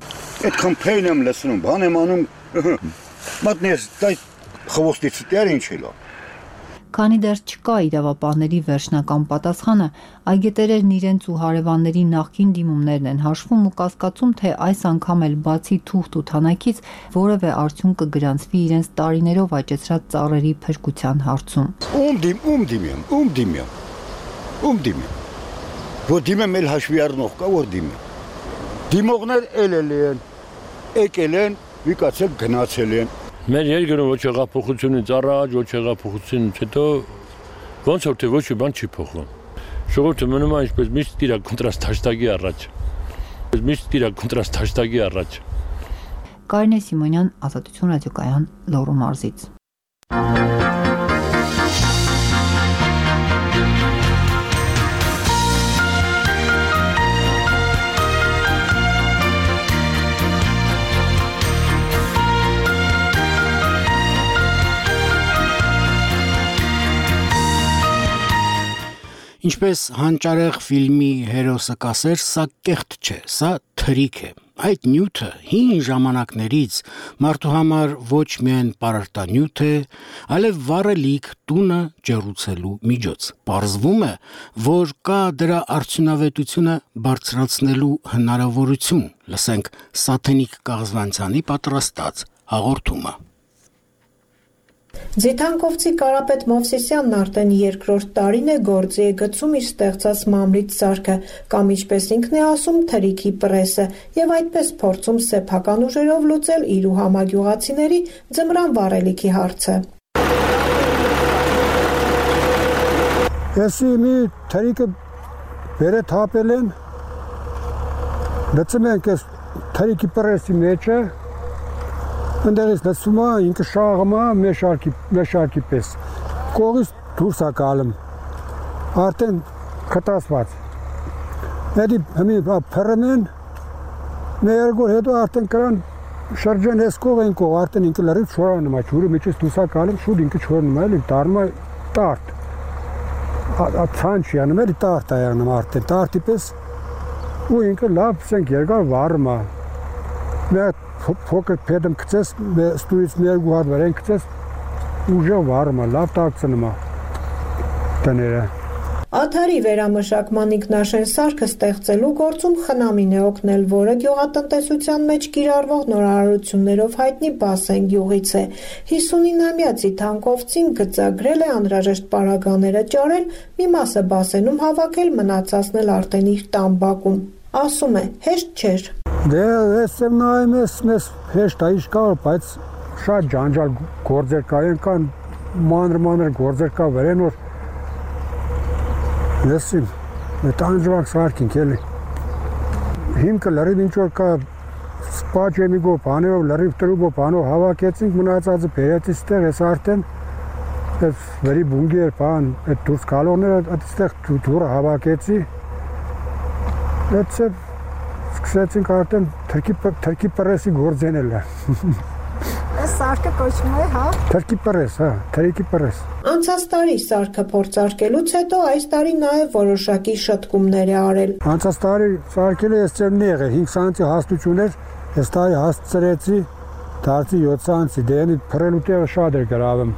Այդքան փեյն եմ լսնում, բան եմ անում, մատնես դա խվոստից դեռ ինչ էլա։ Քանի դեռ չկա իրավապահների վերջնական պատասխանը, այգետերերն իրենց ու հարևանների նախկին դիմումներն են հաշվում ու կասկածում, թե այս անգամ էլ բացի թուղթ ու թանաքից որևէ արդյունք կգրանցվի իրենց տարիներով աճեցրած ծառերի փրկության հարցում։ Ում դիմեմ։ Որ դիմեմ էլ հաշվի առնող կա, որ դիմեմ։ Դիմողներ էլ են, եկել են, վիկացել գնացել են։ Մեր երկրում ոչ հեղափոխությունից առաջ, ոչ հեղափոխությունից հետո ոնց որ թե ոչ մի բան չի փոխվում։ Ժողովուրդը մնում է ինչպես միշտ իր կոնտրաստ հաշտագի առաջ։ Կարինե Սիմոնյան, Ազատություն ռադիոկայան, Լոռու մարզից։ Ինչպես հանճարեղ ֆիլմի հերոսը կասեր, սա կեղտ չէ, սա թրիք է։ Այդ նյութը հին ժամանակներից մարդու համար ոչ միայն պարարտանյութ է, այլև վառելիք տունը ջեռուցելու միջոց։ Պարզվում է, որ կա դրա արդյունավետությունը բարձրացնելու հնարավորություն։ Լսենք Սաթենիկ Կաղզվանցյանի պատրաստած հաղորդումը։ Ձիթանկովցի Կարապետ Մովսիսյանն արդեն երկրորդ տարին է գործի է գցում իր ստեղծած մամրից սարքը, կամ ինչպես ինքն է ասում, թրիքի պրեսը, եւ այդպես փորձում սեփական ուժերով լուծել իր ու համագյուղացիների ձմռան վառելիքի հարցը։ Եսի մի թրիկը վերը թապել են, լծում ենք ես թրիկի պրեսի մեջը, ընդեղից լսում է, ինքը շաղում է մեշարկի պես, կողից դուրս է կալում, արդեն խտասված, հետի հմի պրում են, մի երգոր հետո արդեն կրան շրջեն ես կող են կող, արդեն ինքը լրիվ չորանում է, չուրը մեջից դուրս է կալում, շուտ ինքը չորնում է, տարնում է տարդ, ցան չի անում, էլի տարդ է եղնում արդեն, տարդի պես, ու ինքը լավ սենք երգար վարում է, փոքր փեդում գցես, ստույից մի երկու հատ վրան գցես, ուժը վառում է, լավ տակցնում է տները։ Աթարի վերամշակման ինքնաշեն սարքը ստեղծելու գործում խնամին է օգնել, որը գյուղատնտեսության մեջ կիրառվող նորարարություններով հայտնի Բասեն գյուղից է։ 59-ամյա Ձիթանկովցին գծագրել է անհրաժեշտ պարագաները ճարել, մի մասը Բասենում հավաքել, մնացածն էլ արդեն իր տան բակում։ Ասում է, հեշտ չէր։ Դե ես եմ նայում ես հեշտ է իշ կա, բայց շատ ջանջալ գործեր կան մանր գործեր կա վրեն, որ լեսին, մետ անջվակ սարքինք էլի։ Հիմքը լրիվ ինչ-որ կա սպաչ էմիգով պանով, լրիվ տրուբով պանով հավաքեցինք, մնացածը բերեցի ստեղ, ես արդեն ես վերի բունգի էր պան, այդ դուրս կալողները այդստեղ դուրը հավաքեցի, այդսև սկսեցինք արդեն թրքի պրեսի գործենել է։ Այս սարքը կոչվում է, հա? Թրքի պրես, հա, թրքի պրես։ Անցած տարի սարքը փորձարկելուց հետո այս տարի նաև որոշակի շտկումներ է արել։ Անցած տարի սարքելը ես ծեմ նեղ է, 5 սանտի հաստություն էր, ես տարի հասցրեցի, դարձի 7 սանտի, դենի փրելու տեղը շատ էր գրավում։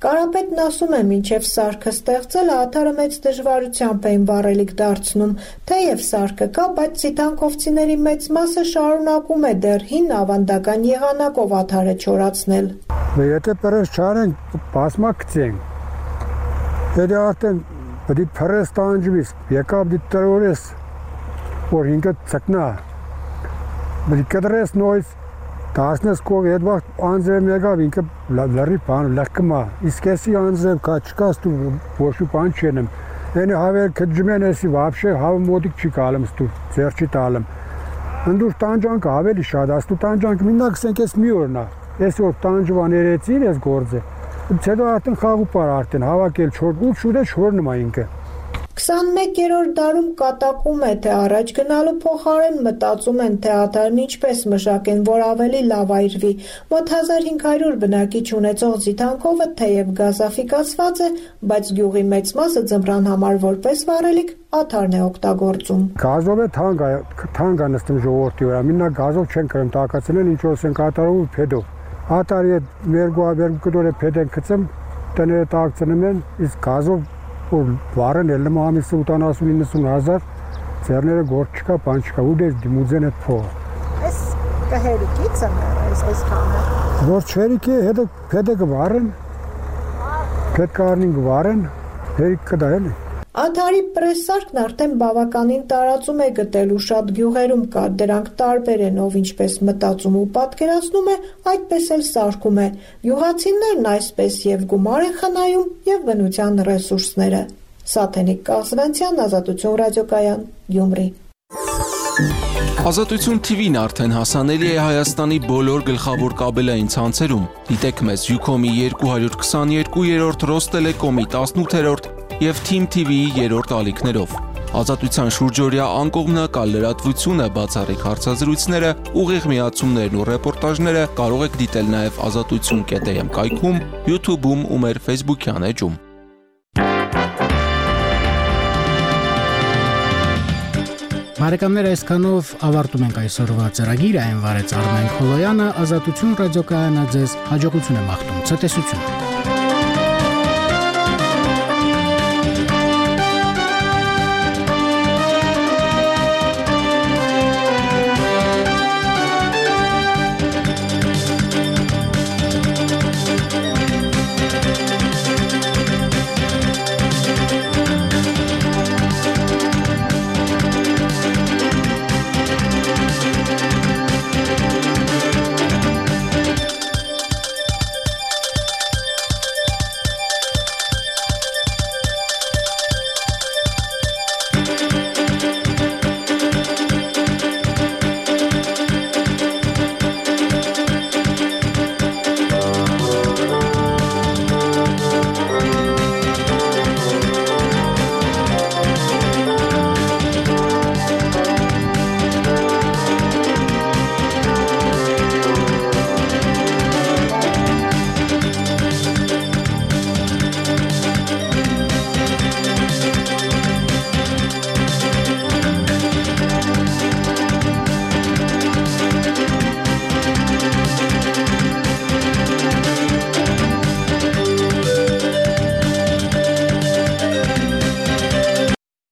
Կարապետն ասում է, մինչև սարքը ստեղծելը աթարը մեծ դժվարությամբ էին վառելիք դարձնում, թեև սարքը կա, բայց ձիթանկովցիների մեծ մասը շարունակում է դեռ հին ավանդական եղանակով աթարը չորացնել։ Եթե պրես չարենք, բասմա գցենք, եթե արդեն պտի պրես տանջվիս, եկավ դի տրորես, որ ինքը ծկնա, պտի կդրես նոյս, դասնես կող հետ վաղ անձրև եկավ, ինքը լրի պան, լրկմա, իսկ եսի անձրև կա, չկաս դու ոչու պան չենեմ, ենի հավեր կջմեն եսի վապշե հավը մոտիկ չի կալում ստու, ձեր չի տալում, ընդուր տանջանքը ավելի շատ, աստու տանջանքը մինակ սենք ես մի օրնա, ես որ տանջվան երեցին ես գործը, հետո արդեն խաղու պար արդեն, հավակել չոր, ու շուտ է չորնում է ինքը։ 21-րդ դարում կատակում է, թե առաջ գնալու փոխարեն մտածում են, թե աթարն ինչպես մշակեն, որ ավելի լավ այրվի։ Մոտ 1500 բնակիչ ունեցող Ձիթանկովը թեև գազաֆիկացված է, բայց գյուղի մեծ մասը ձմռան համար որպես վառելիք աթարն է օգտագործում։ Գազով է թանկ նստում ժողովրդի վրա, մինակ գազով չեն կրում տակացնել, ինչ որ են կատարում փեդով։ Աթարի երկու կտոր է փեդ են գցում, տները տակցնում են, իսկ գազով որ վարեն էլ նմա ամիսը 80-90 հազար, ձերները գործ չկա, պան չկա, ու դեր դիմուձեն էտ փողը։ Ես կհերիկից եմ այս կանը։ Որ չհերիք է, հետը փեդը կվարեն, փեդ կարնին կվարեն, հերիք կդա էլի։ Աթարի պրեսսարկն արդեն բավականին տարածում է գտելու շատ գյուղերում կա, դրանք տարբեր են, ով ինչպես մտածում ու պատկերացնում է, այդպես էլ սարքում է։ Գյուղացիներն այսպես եւ գումար են խնայում եւ բնության ռեսուրսները։ Սաթենիկ Կաղզվանցյան, Ազատություն ռադիոկայան, Գյումրի։ Ազատություն TV-ն արդեն հասանելի է Հայաստանի բոլոր գլխավոր կաբելային ցանցերում։ Դիտեք մեզ Ucom-ի 222-րդ, Ռոստելեկոմի 18-րդ և Team TV-ի 3-րդ ալիքներով։ Ազատության շուրջօրյա անկողմնակալ լրատվությունը, բացառիկ հարցազրույցները, ուղիղ միացումներն ու ռեպորտաժները կարող եք դիտել նաև ազատություն.am կայքում, YouTube-ում ու մեր Facebook-յան էջում։ Բարեկամներ, այսքանով ավարտում ենք այսօրվա ծրագիրը, այն վարեց Արմեն Խոլոյանը, Ազատություն ռադիոկայանը ձեզ հաջողություն է մաղթում, ցտեսություն։